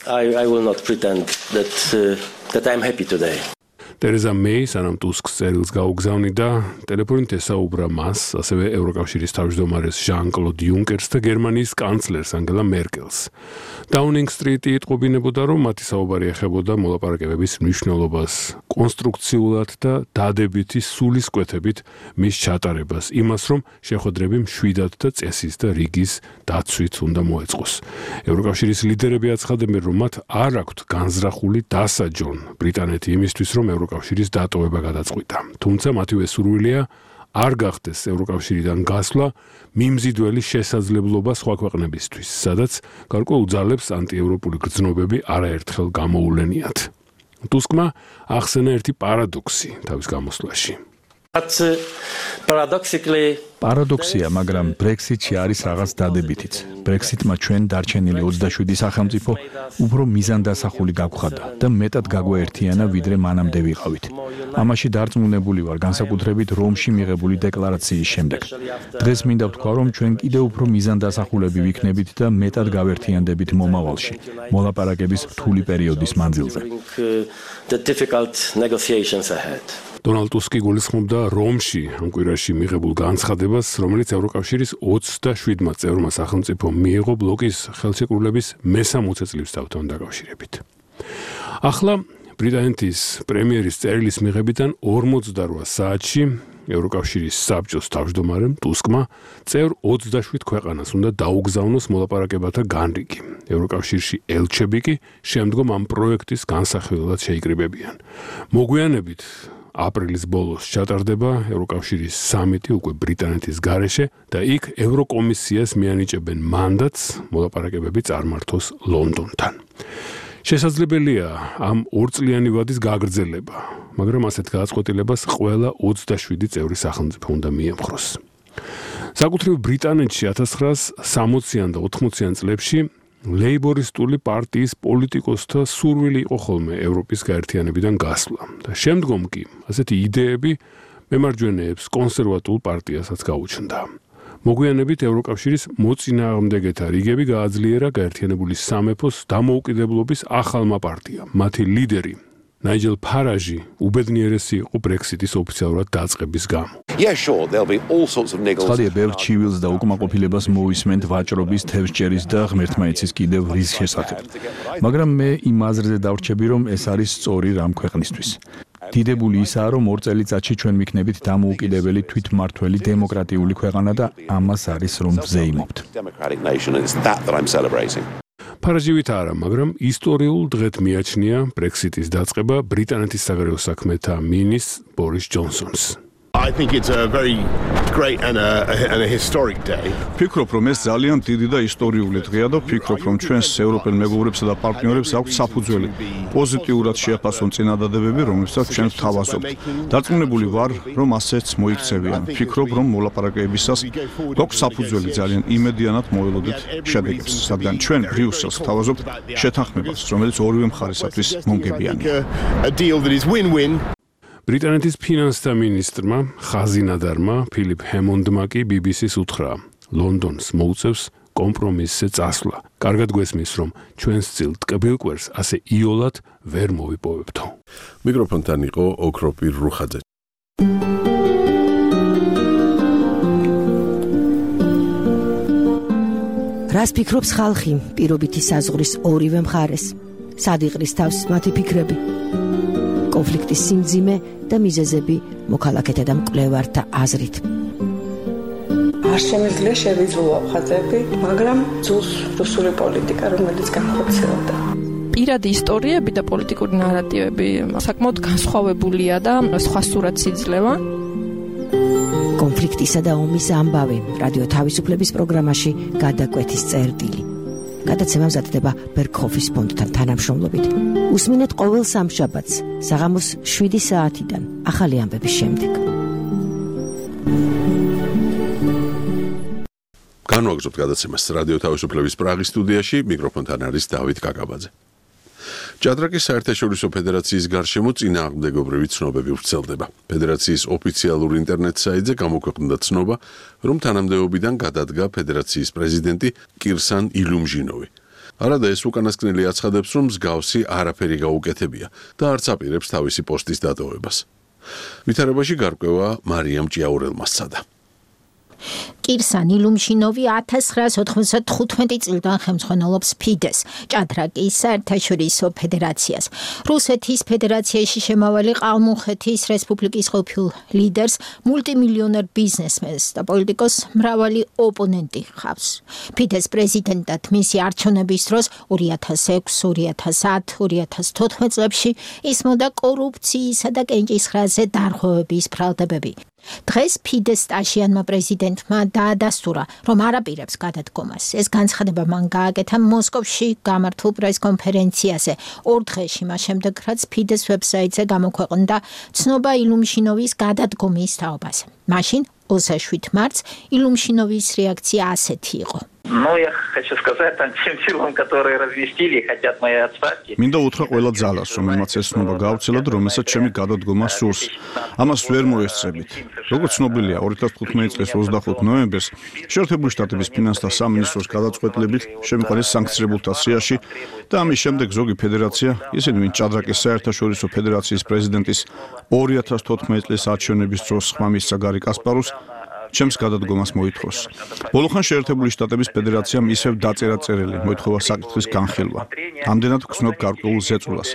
I I will not pretend that uh, that I am happy today. ტერეზა მეი სანამ ტუსკს წერილს გაუგზავნიდა, ტელეფონით ესაუბრა მას, ასევე ევროკავშირის თავმჯდომარეს ჟან-კლოდ იუნკერს და გერმანიის კანცლერს ანგელა მერკელს. დაუნინგ სტრიტი იტყობინებოდა, რომ მათი საუბარი ეხებოდა მოლაპარაკებების მნიშვნელობას, კონსტრუქციულად და დადებითი სულისკვეთებით მის ჩატარებას, იმას, რომ შეხვედრები მშვიდად და წესის და რიგის დაცვით უნდა მოეწყოს. ევროკავშირის ლიდერები აცხადებენ, რომ მათ არ აქვთ განზრახული დასაჯონ ბრიტანეთი იმისთვის, რომ ევროკავშირის დატოვება გადაწყვიტა. თუმცა მათივე სურვილია არ გახდეს ევროკავშირიდან გასვლა მიმზიდველი შესაძლებლობა სხვა ქვეყნებისთვის, სადაც გარკვეულ ძალებს ანტიევროპული გრძნობები არაერთხელ გამოულენიათ. ტუსკმა ახსენა ერთი პარადოქსი თავის გამოსვლაში. But uh, paradoxically პარადოქსია, მაგრამ ბრექსიტში არის რაღაც დადებითიც. ბრექსიტმა ჩვენ დარჩენილი ოცდაშვიდი სახელმწიფო უფრო მიზანდასახული გაგვხადა და მეტად გაგვაერთიანა, ვიდრე მანამდე ვიყავით. ამაში დარწმუნებული ვარ, განსაკუთრებით რომში მიღებული დეკლარაციის შემდეგ. დღეს მინდა ვთქვა, რომ ჩვენ კიდევ უფრო მიზანდასახულები ვიქნებით და მეტად გავერთიანდებით მომავალში, მოლაპარაკების რთული პერიოდის მანძილზე. დონალდ ტუსკი გულისხმობდა რომში ამ კვირაში მიღებულ განცხადებას, რომელიც ევროკავშირის ოცდაშვიდმა წევრმა სახელმწიფომ მიიღო ბლოკის ხელშეკრულების მესამოცე წლისთავთან დაკავშირებით. ახლა ბრიტანეთის პრემიერის წერილის მიღებიდან ორმოცდარვა საათში ევროკავშირის საბჭოს თავმჯდომარემ ტუსკმა წევრ ოცდაშვიდ ქვეყანას უნდა დაუგზავნოს მოლაპარაკებათა განრიგი. ევროკავშირში ელჩები კი შემდგომ ამ პროექტის განსახილველად შეიკრიბებიან. მოგვიანებით აპრილის ბოლოს ჩატარდება ევროკავშირის სამიტი უკვე ბრიტანეთის გარეშე და იქ ევროკომისიას მიანიჭებენ მანდატს მოლაპარაკებები წარმართოს ლონდონთან. შესაძლებელია ამ ორწლიანი ვადის გაგრძელება, მაგრამ ასეთ გადაწყვეტილებას ყველა ოცდაშვიდი წევრი სახელმწიფო უნდა მიემხროს. საკუთრივ ბრიტანეთში ათას ცხრაას სამოციან და ოთხმოციან წლებში ლეიბორისტული პარტიის პოლიტიკოსთა სურვილი იყო ხოლმე ევროპის გაერთიანებიდან გასვლა და შემდგომ კი ასეთი იდეები მემარჯვენეებს კონსერვატულ პარტიასაც გაუჩნდა. მოგვიანებით ევროკავშირის მოწინააღმდეგეთა რიგები გააძლიერა გაერთიანებული სამეფოს დამოუკიდებლობის ახალმა პარტიამ. მათი ლიდერი ნაიჯელ ფარაჟი უბედნიერესი იყო ბრექსიტის ოფიციალურად დაწყების გამო. Yeah, sure, there'll be all sorts of negotiations. ხალხი ბევრ ჩივილს და უკმაყოფილებას მოისმენთ ვაჭრობის, თევზჭერის და ღმერთმაიცის კიდევ რის შესახებ. მაგრამ მე იმ აზრზე დავრჩები, რომ ეს არის სწორი რამ ქვეყნისთვის. დიდებული ისაა, რომ ორ წელიწადში ჩვენ ვიქნებით დამოუკიდებელი თვითმმართველი დემოკრატიული ქვეყანა და ამას არის რომ ვზეიმობთ. ფარაჟივით არა, მაგრამ ისტორიულ დღედ მიაჩნია ბრექსიტის დაწყება ბრიტანეთის საგარეო საქმეთა მინისტრ ბორის ჯონსონს. I think it's a very great and a, and a historic day. ფიქრობ, რომ ეს ძალიან დიდი და ისტორიული დღეა და ფიქრობ, რომ ჩვენს ევროპელ მეგობრებსა და პარტნიორებს აქვს საფუძველი პოზიტიურად შეაფასონ წინადადებები, რომლებსაც ჩვენ ვთავაზობთ. დარწმუნებული ვარ, რომ ასეც მოიქცევიან. ფიქრობ, რომ მოლაპარაკებისას გვაქვს საფუძველი ძალიან იმედიანად მოველოდეთ შედეგებს, რადგან ჩვენ ბრიუსელს ვთავაზობთ შეთანხმებას, რომელიც ორივე მხარესათვის მომგებიანია. A deal that is win-win. ბრიტანეთის ფინანსთა მინისტრმა ხაზინადარმა ფილიპ ჰემონდმა კი ბი ბი სის უთხრა, ლონდონს მოუწევს კომპრომისზე წასვლა. კარგად გვესმის, რომ ჩვენს წილ ტკბილკვერს ასე იოლად ვერ მოვიპოვებთო. მიკროფონთან იყო ოქროპირ რუხაძე. რას ფიქრობს ხალხი პირობითი საზღვრის ორივე მხარეს? სად იყრის თავს მათი ფიქრები? კონფლიქტის სიმძიმე და მიზეზები მოქალაქეთა და მკვლევართა აზრით. არ შემიძლია შევიძულო ხაზები, მაგრამ ძულს რუსული პოლიტიკა, რომელიც განხორციელდა. პირადი ისტორიები და პოლიტიკური ნარატივები საკმაოდ განსხვავებულია და სხვა სურათს იძლევა. კონფლიქტისა და ომის ამბავი რადიო თავისუფლების პროგრამაში გადაკვეთის წერტილი. გადაცემა მზადდება ბერქოფის ფონდთან თანამშრომლობით. უსმინეთ ყოველ სამშაბათს საღამოს შვიდი საათიდან ახალი ამბების შემდეგ. განვაგრძობთ გადაცემას რადიო თავისუფლების პრაღის სტუდიაში, მიკროფონთან არის დავით კაკაბაძე. ჭადრაკის საერთაშორისო ფედერაციის გარშემო წინააღმდეგობრივი ცნობები ვრცელდება. ფედერაციის ოფიციალურ ინტერნეტ საიტზე გამოქვეყნდა ცნობა, რომ თანამდებობიდან გადადგა ფედერაციის პრეზიდენტი კირსან ილუმჟინოვი. არადა ეს უკანასკნელი აცხადებს, რომ მსგავსი არაფერი გაუკეთებია და არც აპირებს თავისი პოსტის დატოვებას. ვითარებაში გარკვევა მარიამ ჭიაურელმა სცადა. კირსან ილუმჟინოვი ათას ცხრაას ოთხმოცდათხუთმეტი წლიდან ხელმძღვანელობს ფიდეს, ჭადრაკის საერთაშორისო ფედერაციას. რუსეთის ფედერაციაში შემავალი ყალმუხეთის რესპუბლიკის ყოფილ ლიდერს, მულტიმილიონერ ბიზნესმენს და პოლიტიკოს მრავალი ოპონენტი ჰყავს. ფიდეს პრეზიდენტად მისი არჩევნების დროს ორი ათას ექვსი, ორი ათას ათი, ორი ათას თოთხმეტ წლებში ისმოდა კორუფციისა და კენჭისყრაზე დარღვევების ბრალდებები. დღეს ფიდეს სტაშიანმა პრეზიდენტმა დაადასტურა, რომ არ აპირებს გადადგომას. ეს განცხადება მან გააკეთა მოსკოვში გამართულ პრესკონფერენციაზე ორ დღეში მას შემდეგ, რაც ფიდეს ვებსაიტზე გამოქვეყნდა ცნობა ილუმჟინოვის გადადგომის თაობაზე. მაშინ ოცდაშვიდ მარტს ილუმჟინოვის რეაქცია ასეთი იყო. Ну, я хочу сказать там тем силам, которые развестили, хотят моей отставки. მინდა უთხრა ყველა ძალას, რომელმაც ეს ცნობა გავრცელა და რომელსაც ჩემი გადადგომა სურს. ამას ვერ მოესწრებით. როგორც ცნობილია, ორი ათას თხუთმეტი წლის ოცდახუთი ნოემბერს შეერთებული შტატების ფინანსთა სამინისტროს გადაწყვეტილებით შემოყვანეს სანქციებულთა სიაში და ამის შემდეგ ზოგი ფედერაცია, ისინი ვინც ჭადრაკის საერთაშორისო ფედერაციის პრეზიდენტის ორი ათას თოთხმეტი წლის არჩევნების დროს ხმა მისცა გარი კასპაროვს, ჩემს გადადგომას მოითხოვს. ბოლოხან შეერთებული შტატების ფედერაციამ ისევ დაწერა წერილი, მოითხოვა საკითხის განხილვა. ამდენად გრძნობ გარკვეულ ზეწოლას,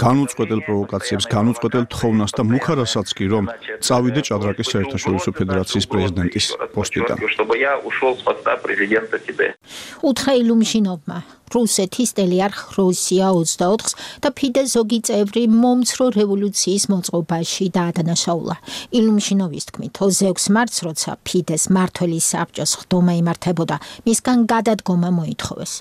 განუწყვეტელ პროვოკაციებს, განუწყვეტელ თხოვნას და მუქარასაც კი, რომ წავიდე ჭადრაკის საერთაშორისო ფედერაციის პრეზიდენტის პოსტიდან. უთხრა ილუმჟინოვმა რუსეთის ტელიარხ რუსია ოცდაოთხს და ფიდეს ზოგი წევრი მომცრო რევოლუციის მოწყობაში დაადანაშაულა. ილუმჟინოვის თქმით, ოცდაექვსი მარტს, როცა ფიდეს მმართველი საბჭოს ხდომა იმართებოდა, მისგან გადადგომა მოითხოვეს.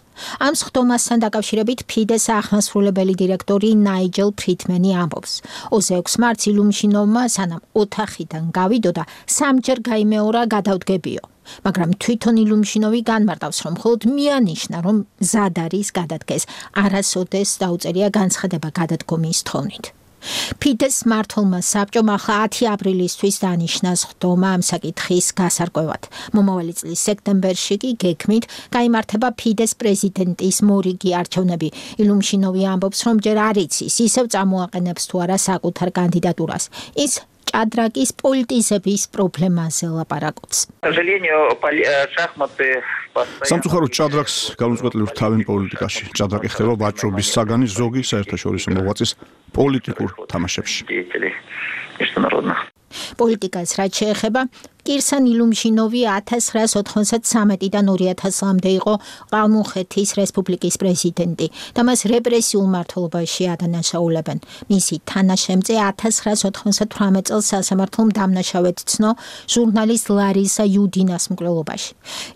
ამ ხდომასთან დაკავშირებით ფიდეს აღმასრულებელი დირექტორი ნაიჯელ ფრიტმენი ამბობს. ოცდაექვსი მარტს ილუმჟინოვმა სანამ ოთახიდან გავიდოდა, სამჯერ გაიმეორა გადავდგებიო. მაგრამ თვითონ ილუმჟინოვი განმარტავს, რომ მხოლოდ მიანიშნა, რომ მზად არის გადადგეს, არასოდეს დაუწერია განცხადება გადადგომის თხოვნით. ფიდეს მმართველმა საბჭომ ახლა ათი აპრილისთვის დანიშნა ხდომა ამ საკითხის გასარკვევად. მომავალი წლის სექტემბერში კი გეგმით გაიმართება ფიდეს პრეზიდენტის მორიგი არჩევნები. ილუმჟინოვი ამბობს, რომ ჯერ არ იცის, ისევ წამოაყენებს თუ არა საკუთარ კანდიდატურას. ის ჭადრაკის პოლიტიზების პრობლემაზე ლაპარაკობს. სამწუხაროდ ჭადრაკს განუწყვეტლივ თავენ პოლიტიკაში. ჭადრაკი ხდება ვაჭრობის საგანი ზოგი საერთაშორისო მოღვაწის პოლიტიკურ თამაშებში. პოლიტიკას რაც შეეხება, კირსან ილუმჟინოვი ათას ცხრაას ოთხმოცდათრამეტიდან ორი ათას წლამდე იყო ყალმუხეთის რესპუბლიკის პრეზიდენტი და მას რეპრესიულ მმართველობაში ადანაშაულებენ. მისი თანაშემწე ათას ცხრაას ოთხმოცდათვრამეტ წელს სასამართლომ დამნაშავედ ცნო ჟურნალისტ ლარისა იუდინას მკვლელობაში.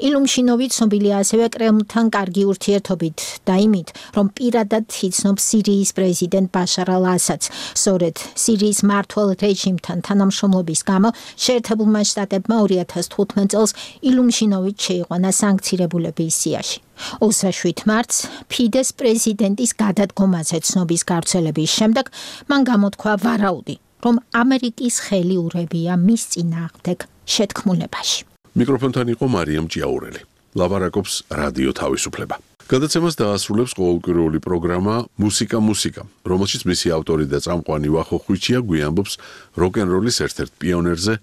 ილუმჟინოვი ცნობილია ასევე კრემლთან კარგი ურთიერთობით და იმით, რომ პირადად იცნობს სირიის პრეზიდენტ ბაშარ ალ-ასადს. სწორედ სირიის მმართველ რეჟიმთან თანამშრომლობის გამო შეერთებულმა შტატებმა ორი ათას თხუთმეტ წელს ილუმჟინოვი შეიყვანა სანქცირებულების სიაში. ოცდაშვიდ მარტს ფიდეს პრეზიდენტის გადადგომაზე ცნობის გავრცელების შემდეგ მან გამოთქვა ვარაუდი, რომ ამერიკის ხელი ურევია მის წინააღმდეგ შეთქმულებაში. მიკროფონთან იყო მარიამ ჭიაურელი. ლაბარაკობს რადიო თავისუფლება. გადაცემას დაასრულებს ყოველკვირეული პროგრამა მუსიკა მუსიკა, რომელშიც მისი ავტორი და წამყვანი ვახო ხვიჩია გვიამბობს როკ-ენ-როლის ერთ-ერთ პიონერზე,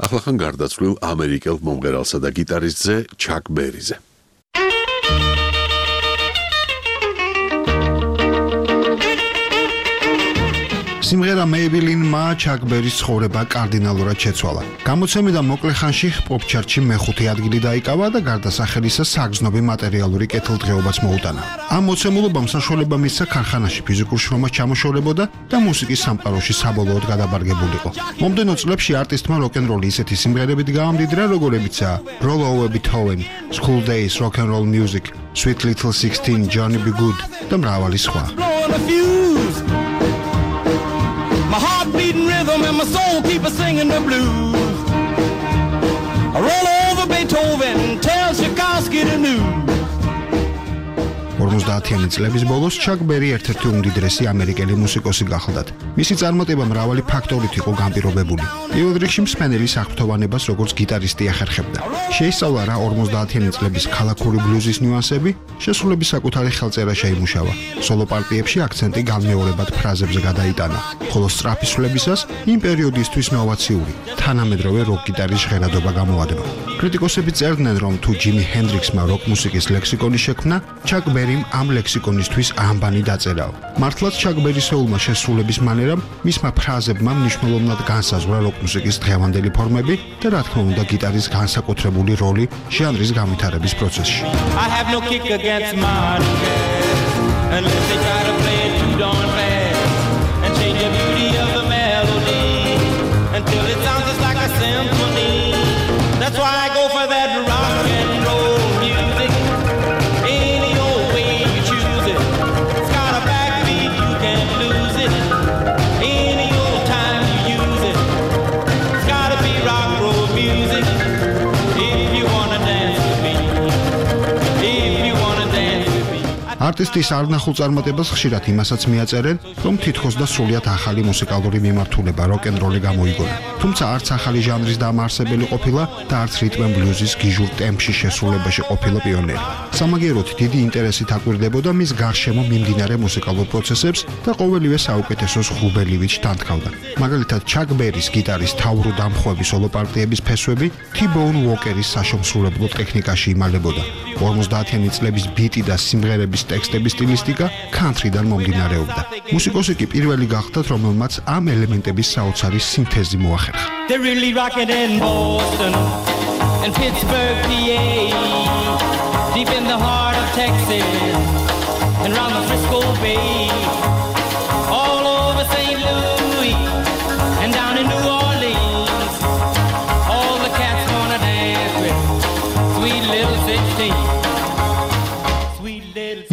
ახლახან გარდაცვლილ ამერიკელ მომღერალსა და გიტარისტზე ჩაკ ბერიზე. სიმღერა Maybelline-მა ჩაკ ბერის ცხოვრება კარდინალურად შეცვალა. გამოცემიდან მოკლე ხანში პოპ ჩარტში მეხუთე ადგილი დაიკავა და გარდასახელისა საგრძნობი მატერიალური კეთილდღეობაც მოუტანა. ამ მოცემულობამ საშუალება მისცა ქარხანაში ფიზიკურ შრომას ჩამოშორებოდა და მუსიკის სამყაროში საბოლოოდ გადაბარგებულიყო. მომდენო წლებში არტისტმა როკ-ენ-როლი ისეთი სიმღერებით გაამდიდრა, როგორებიცაა Roll Over Beethoven, School Days, Rock and Roll Music, Sweet Little sixteen, Johnny B. Good და მრავალი სხვა. My heart beating rhythm and my soul keep singing the blues. I roll over Beethoven, tell Tchaikovsky the news. ორმოცდაათიანი წლების ბოლოს ჩაკ ბერი ერთ-ერთი უმდიდრესი ამერიკელი მუსიკოსი გახლდათ. მისი წარმატება მრავალი ფაქტორით იყო განპირობებული. პირველ რიგში მსმენელის აღფრთოვანებას როგორც გიტარისტი ახერხებდა. შეისწავლა რა ორმოცდაათიანი წლების ქალაქური ბლუზის ნიუანსები, შესრულების საკუთარი ხელწერა შეიმუშავა. სოლო პარტიებში აქცენტი განმეორებად ფრაზებზე გადაიტანა, ხოლო სწრაფისვლებისას იმ პერიოდისთვის ნოვაციური, თანამედროვე როკ გიტარის ჟღერადობა გამოადმა. კრიტიკოსები წერდნენ, რომ თუ ჯიმი ჰენდრიქსმა როკ მუსიკის ლექსიკონი შექმნა, ჩაკ ბერიმ ამ ლექსიკონისთვის ამბანი დაწერაო. მართლაც ჩაკ ბერისეულმა შესრულების მანერამ, მისმა ფრაზებმა მნიშვნელოვნად განსაზღვრა როკ მუსიკის დღევანდელი ფორმები და რა თქმა უნდა გიტარის განსაკუთრებული როლი ჟანრის განვითარების პროცესში. I have no kick against modern jazz unless they try to play it too darn fast and change the beauty of the melody until it sounds just like a symphony. That's why I go for that rock and roll music. Any old way you choose it. It's got a backbeat, you can't lose it. Any old time you use it. It's gotta be rock roll music. If you wanna dance with me. If you wanna dance with me. არტისტის არნახულ წარმატებას ხშირად იმასაც მიაწერენ, რომ თითქოს და სრულიად ახალი მუსიკალური მიმართულება როკ-ენ-როლი გამოიგონა. თუმცა არც ახალი ჟანრის დამაარსებელი ყოფილა და არც რიტმ ენ ბლუზის გიჟურ ტემპში შესრულებაში ყოფილა პიონერი. სამაგიეროდ დიდი ინტერესით აკვირდებოდა მის გარშემო მიმდინარე მუსიკალურ პროცესებს და ყოველივე საუკეთესოს ღრუბელივით შთანთქავდა. მაგალითად, ჩაკ ბერის გიტარის თავრუ დამხვევი სოლო პარტიების ფესვები T-Bone Walker-ის საშემსრულებლო ტექნიკაში იმალებოდა. ორმოცდაათიანი წლების ბიტი და სიმღერების ტექსტების სტილისტიკა ქანთრიდან მომდინარეობდა. მუსიკოსი კი პირველი გახდათ, რომელმაც ამ ელემენტების საოცარი სინთეზი მოახერხა. They're really rocking in Boston and Pittsburgh, P A, deep in the heart of Texas and round the Frisco Bay, all over Saint Louis and down in New Orleans. All the cats wanna dance with Sweet Little sixteen.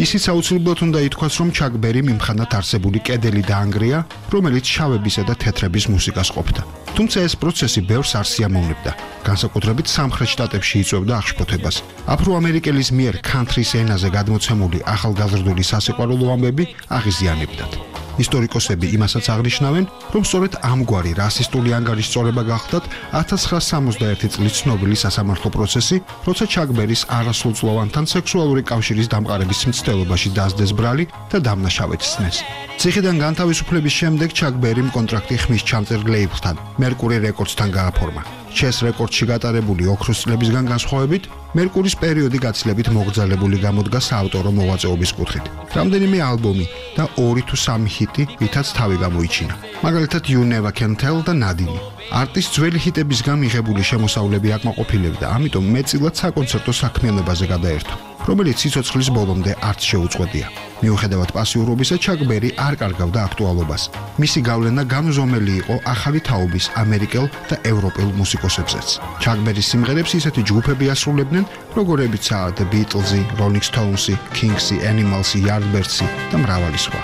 ისიც აუცილებლად უნდა ითქვას, რომ ჩაკ ბერი მიმხანად არსებული კედელი დაანგრია, რომელიც შავებისა და თეთრების მუსიკას ყოფდა. თუმცა ეს პროცესი ბევრს არ სიამოვნებდა. განსაკუთრებით სამხრეთ შტატებში იწვევდა აღშფოთებას. აფრო-ამერიკელის მიერ ქანთრის ენაზე გადმოცემული ახალგაზრდული სასიყვარულო ამბები აღიზიანებდათ. ისტორიკოსები იმასაც აღნიშნავენ, რომ სწორედ ამგვარი რასისტული ანგარიშწორება გახდათ ათას ცხრაასი სამოცდაერთი წლის ცნობილი სასამართლო პროცესი, როცა ჩაკ ბერის არასრულწლოვანთან სექსუალური კავშირის დამყარების მცდელობაში დასდეს ბრალი და დამნაშავეცნეს. ციხიდან განთავისუფლების შემდეგ ჩაკ ბერიმ კონტრაქტი ხმის ჩამწერ ლეიბლთან, Mercury Records-თან გააფორმა. ჩეს რეკორდში გატარებული ოქროს წლებისგან განსხვავებით, მერკურის პერიოდი გაცილებით მოგრძალებული გამოდგა საავტორო მოღვაწეობის კუთხით. რამდენიმე ალბომი და ორი თუ სამი ჰიტი, რითაც თავი გამოიჩინა. მაგალითად You Never Can Tell და ნადინი. არტის ძველი ჰიტებისგან მიღებული შემოსავლები აკმაყოფილებდა, ამიტომ მეტწილად საკონცერტო საქმიანობაზე გადაერთო, რომელიც სიცოცხლის ბოლომდე არც შეუწყვეტია. მიუხედავად პასიურობისა, ჩაკ ბერი არ კარგავდა აქტუალობას. მისი გავლენა განუზომელი იყო ახალი თაობის ამერიკელ და ევროპელ მუსიკოსებზეც. ჩაკ ბერის სიმღერებს ისეთი ჯგუფები ასრულებდნენ, როგორებიცაა The Beatles-ი, Rolling Stones-ი, Kings-ი, Animals-ი, Yardbirds-ი და მრავალი სხვა.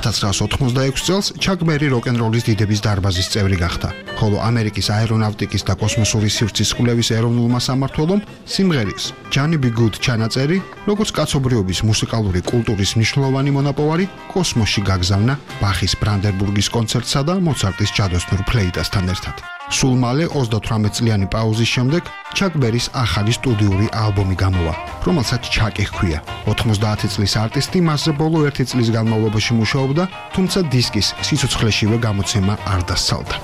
ათასცხრაასი ოთხმოცდაექვსი წელს ჩაკ ბერი როკ-ენ-როლის დიდების დარბაზის წევრი გახდა, ხოლო ამერიკის აერონავტიკის და კოსმოსური სივრცის კვლევის ეროვნულმა სამმართველომ სიმღერის Johnny B. Good ჩანაწერი, როგორც კაცობრიობის მუსიკალური კულტურის მნიშვნელოვანი მონაპოვარი, კოსმოსში გაგზავნა ბახის ბრანდენბურგის კონცერტსა და მოცარტის ჯადოსნურ ფლეიტასთან ერთად. სულ მალე ოცდათვრამეტ წლიანი პაუზის შემდეგ ჩაკ ბერის ახალი სტუდიური ალბომი გამოვა, რომელსაც ჩაკი ჰქვია. ოთხმოცდაათი წლის არტისტი მასზე ბოლო ერთი წლის განმავლობაში მუშაობდა, თუმცა დისკის სიცოცხლეშივე გამოცემა არ დასცალდა.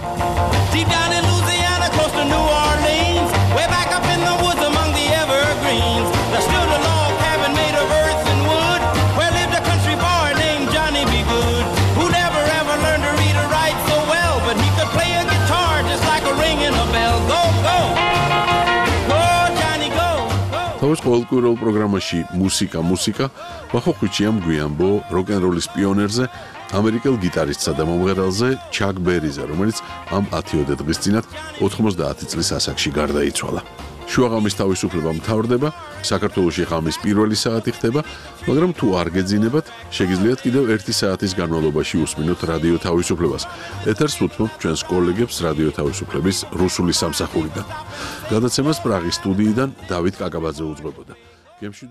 თავის ყოველკვირეულ პროგრამაში მუსიკა მუსიკა ვახოხუჩიამ გვიამბო როკ-ენ-როლის პიონერზე, ამერიკელ გიტარისტსა და მომღერალზე ჩაკ ბერიზე, რომელიც ამ ათიოდე დღის წინათ ოთხმოცდაათი წლის ასაკში გარდაიცვალა. შუაღამის თავისუფლება მთავრდება, საქართველოში ღამის პირველი საათი ხდება, მაგრამ თუ არ გეძინებათ, შეგიძლიათ კიდევ ერთი საათის განმავლობაში უსმინოთ რადიო თავისუფლებას. ეთერს უთმობთ ჩვენს კოლეგებს რადიო თავისუფლების რუსული სამსახურიდან. გადაცემას პრაღის სტუდიიდან დავით კაკაბაძე უძღვებოდა.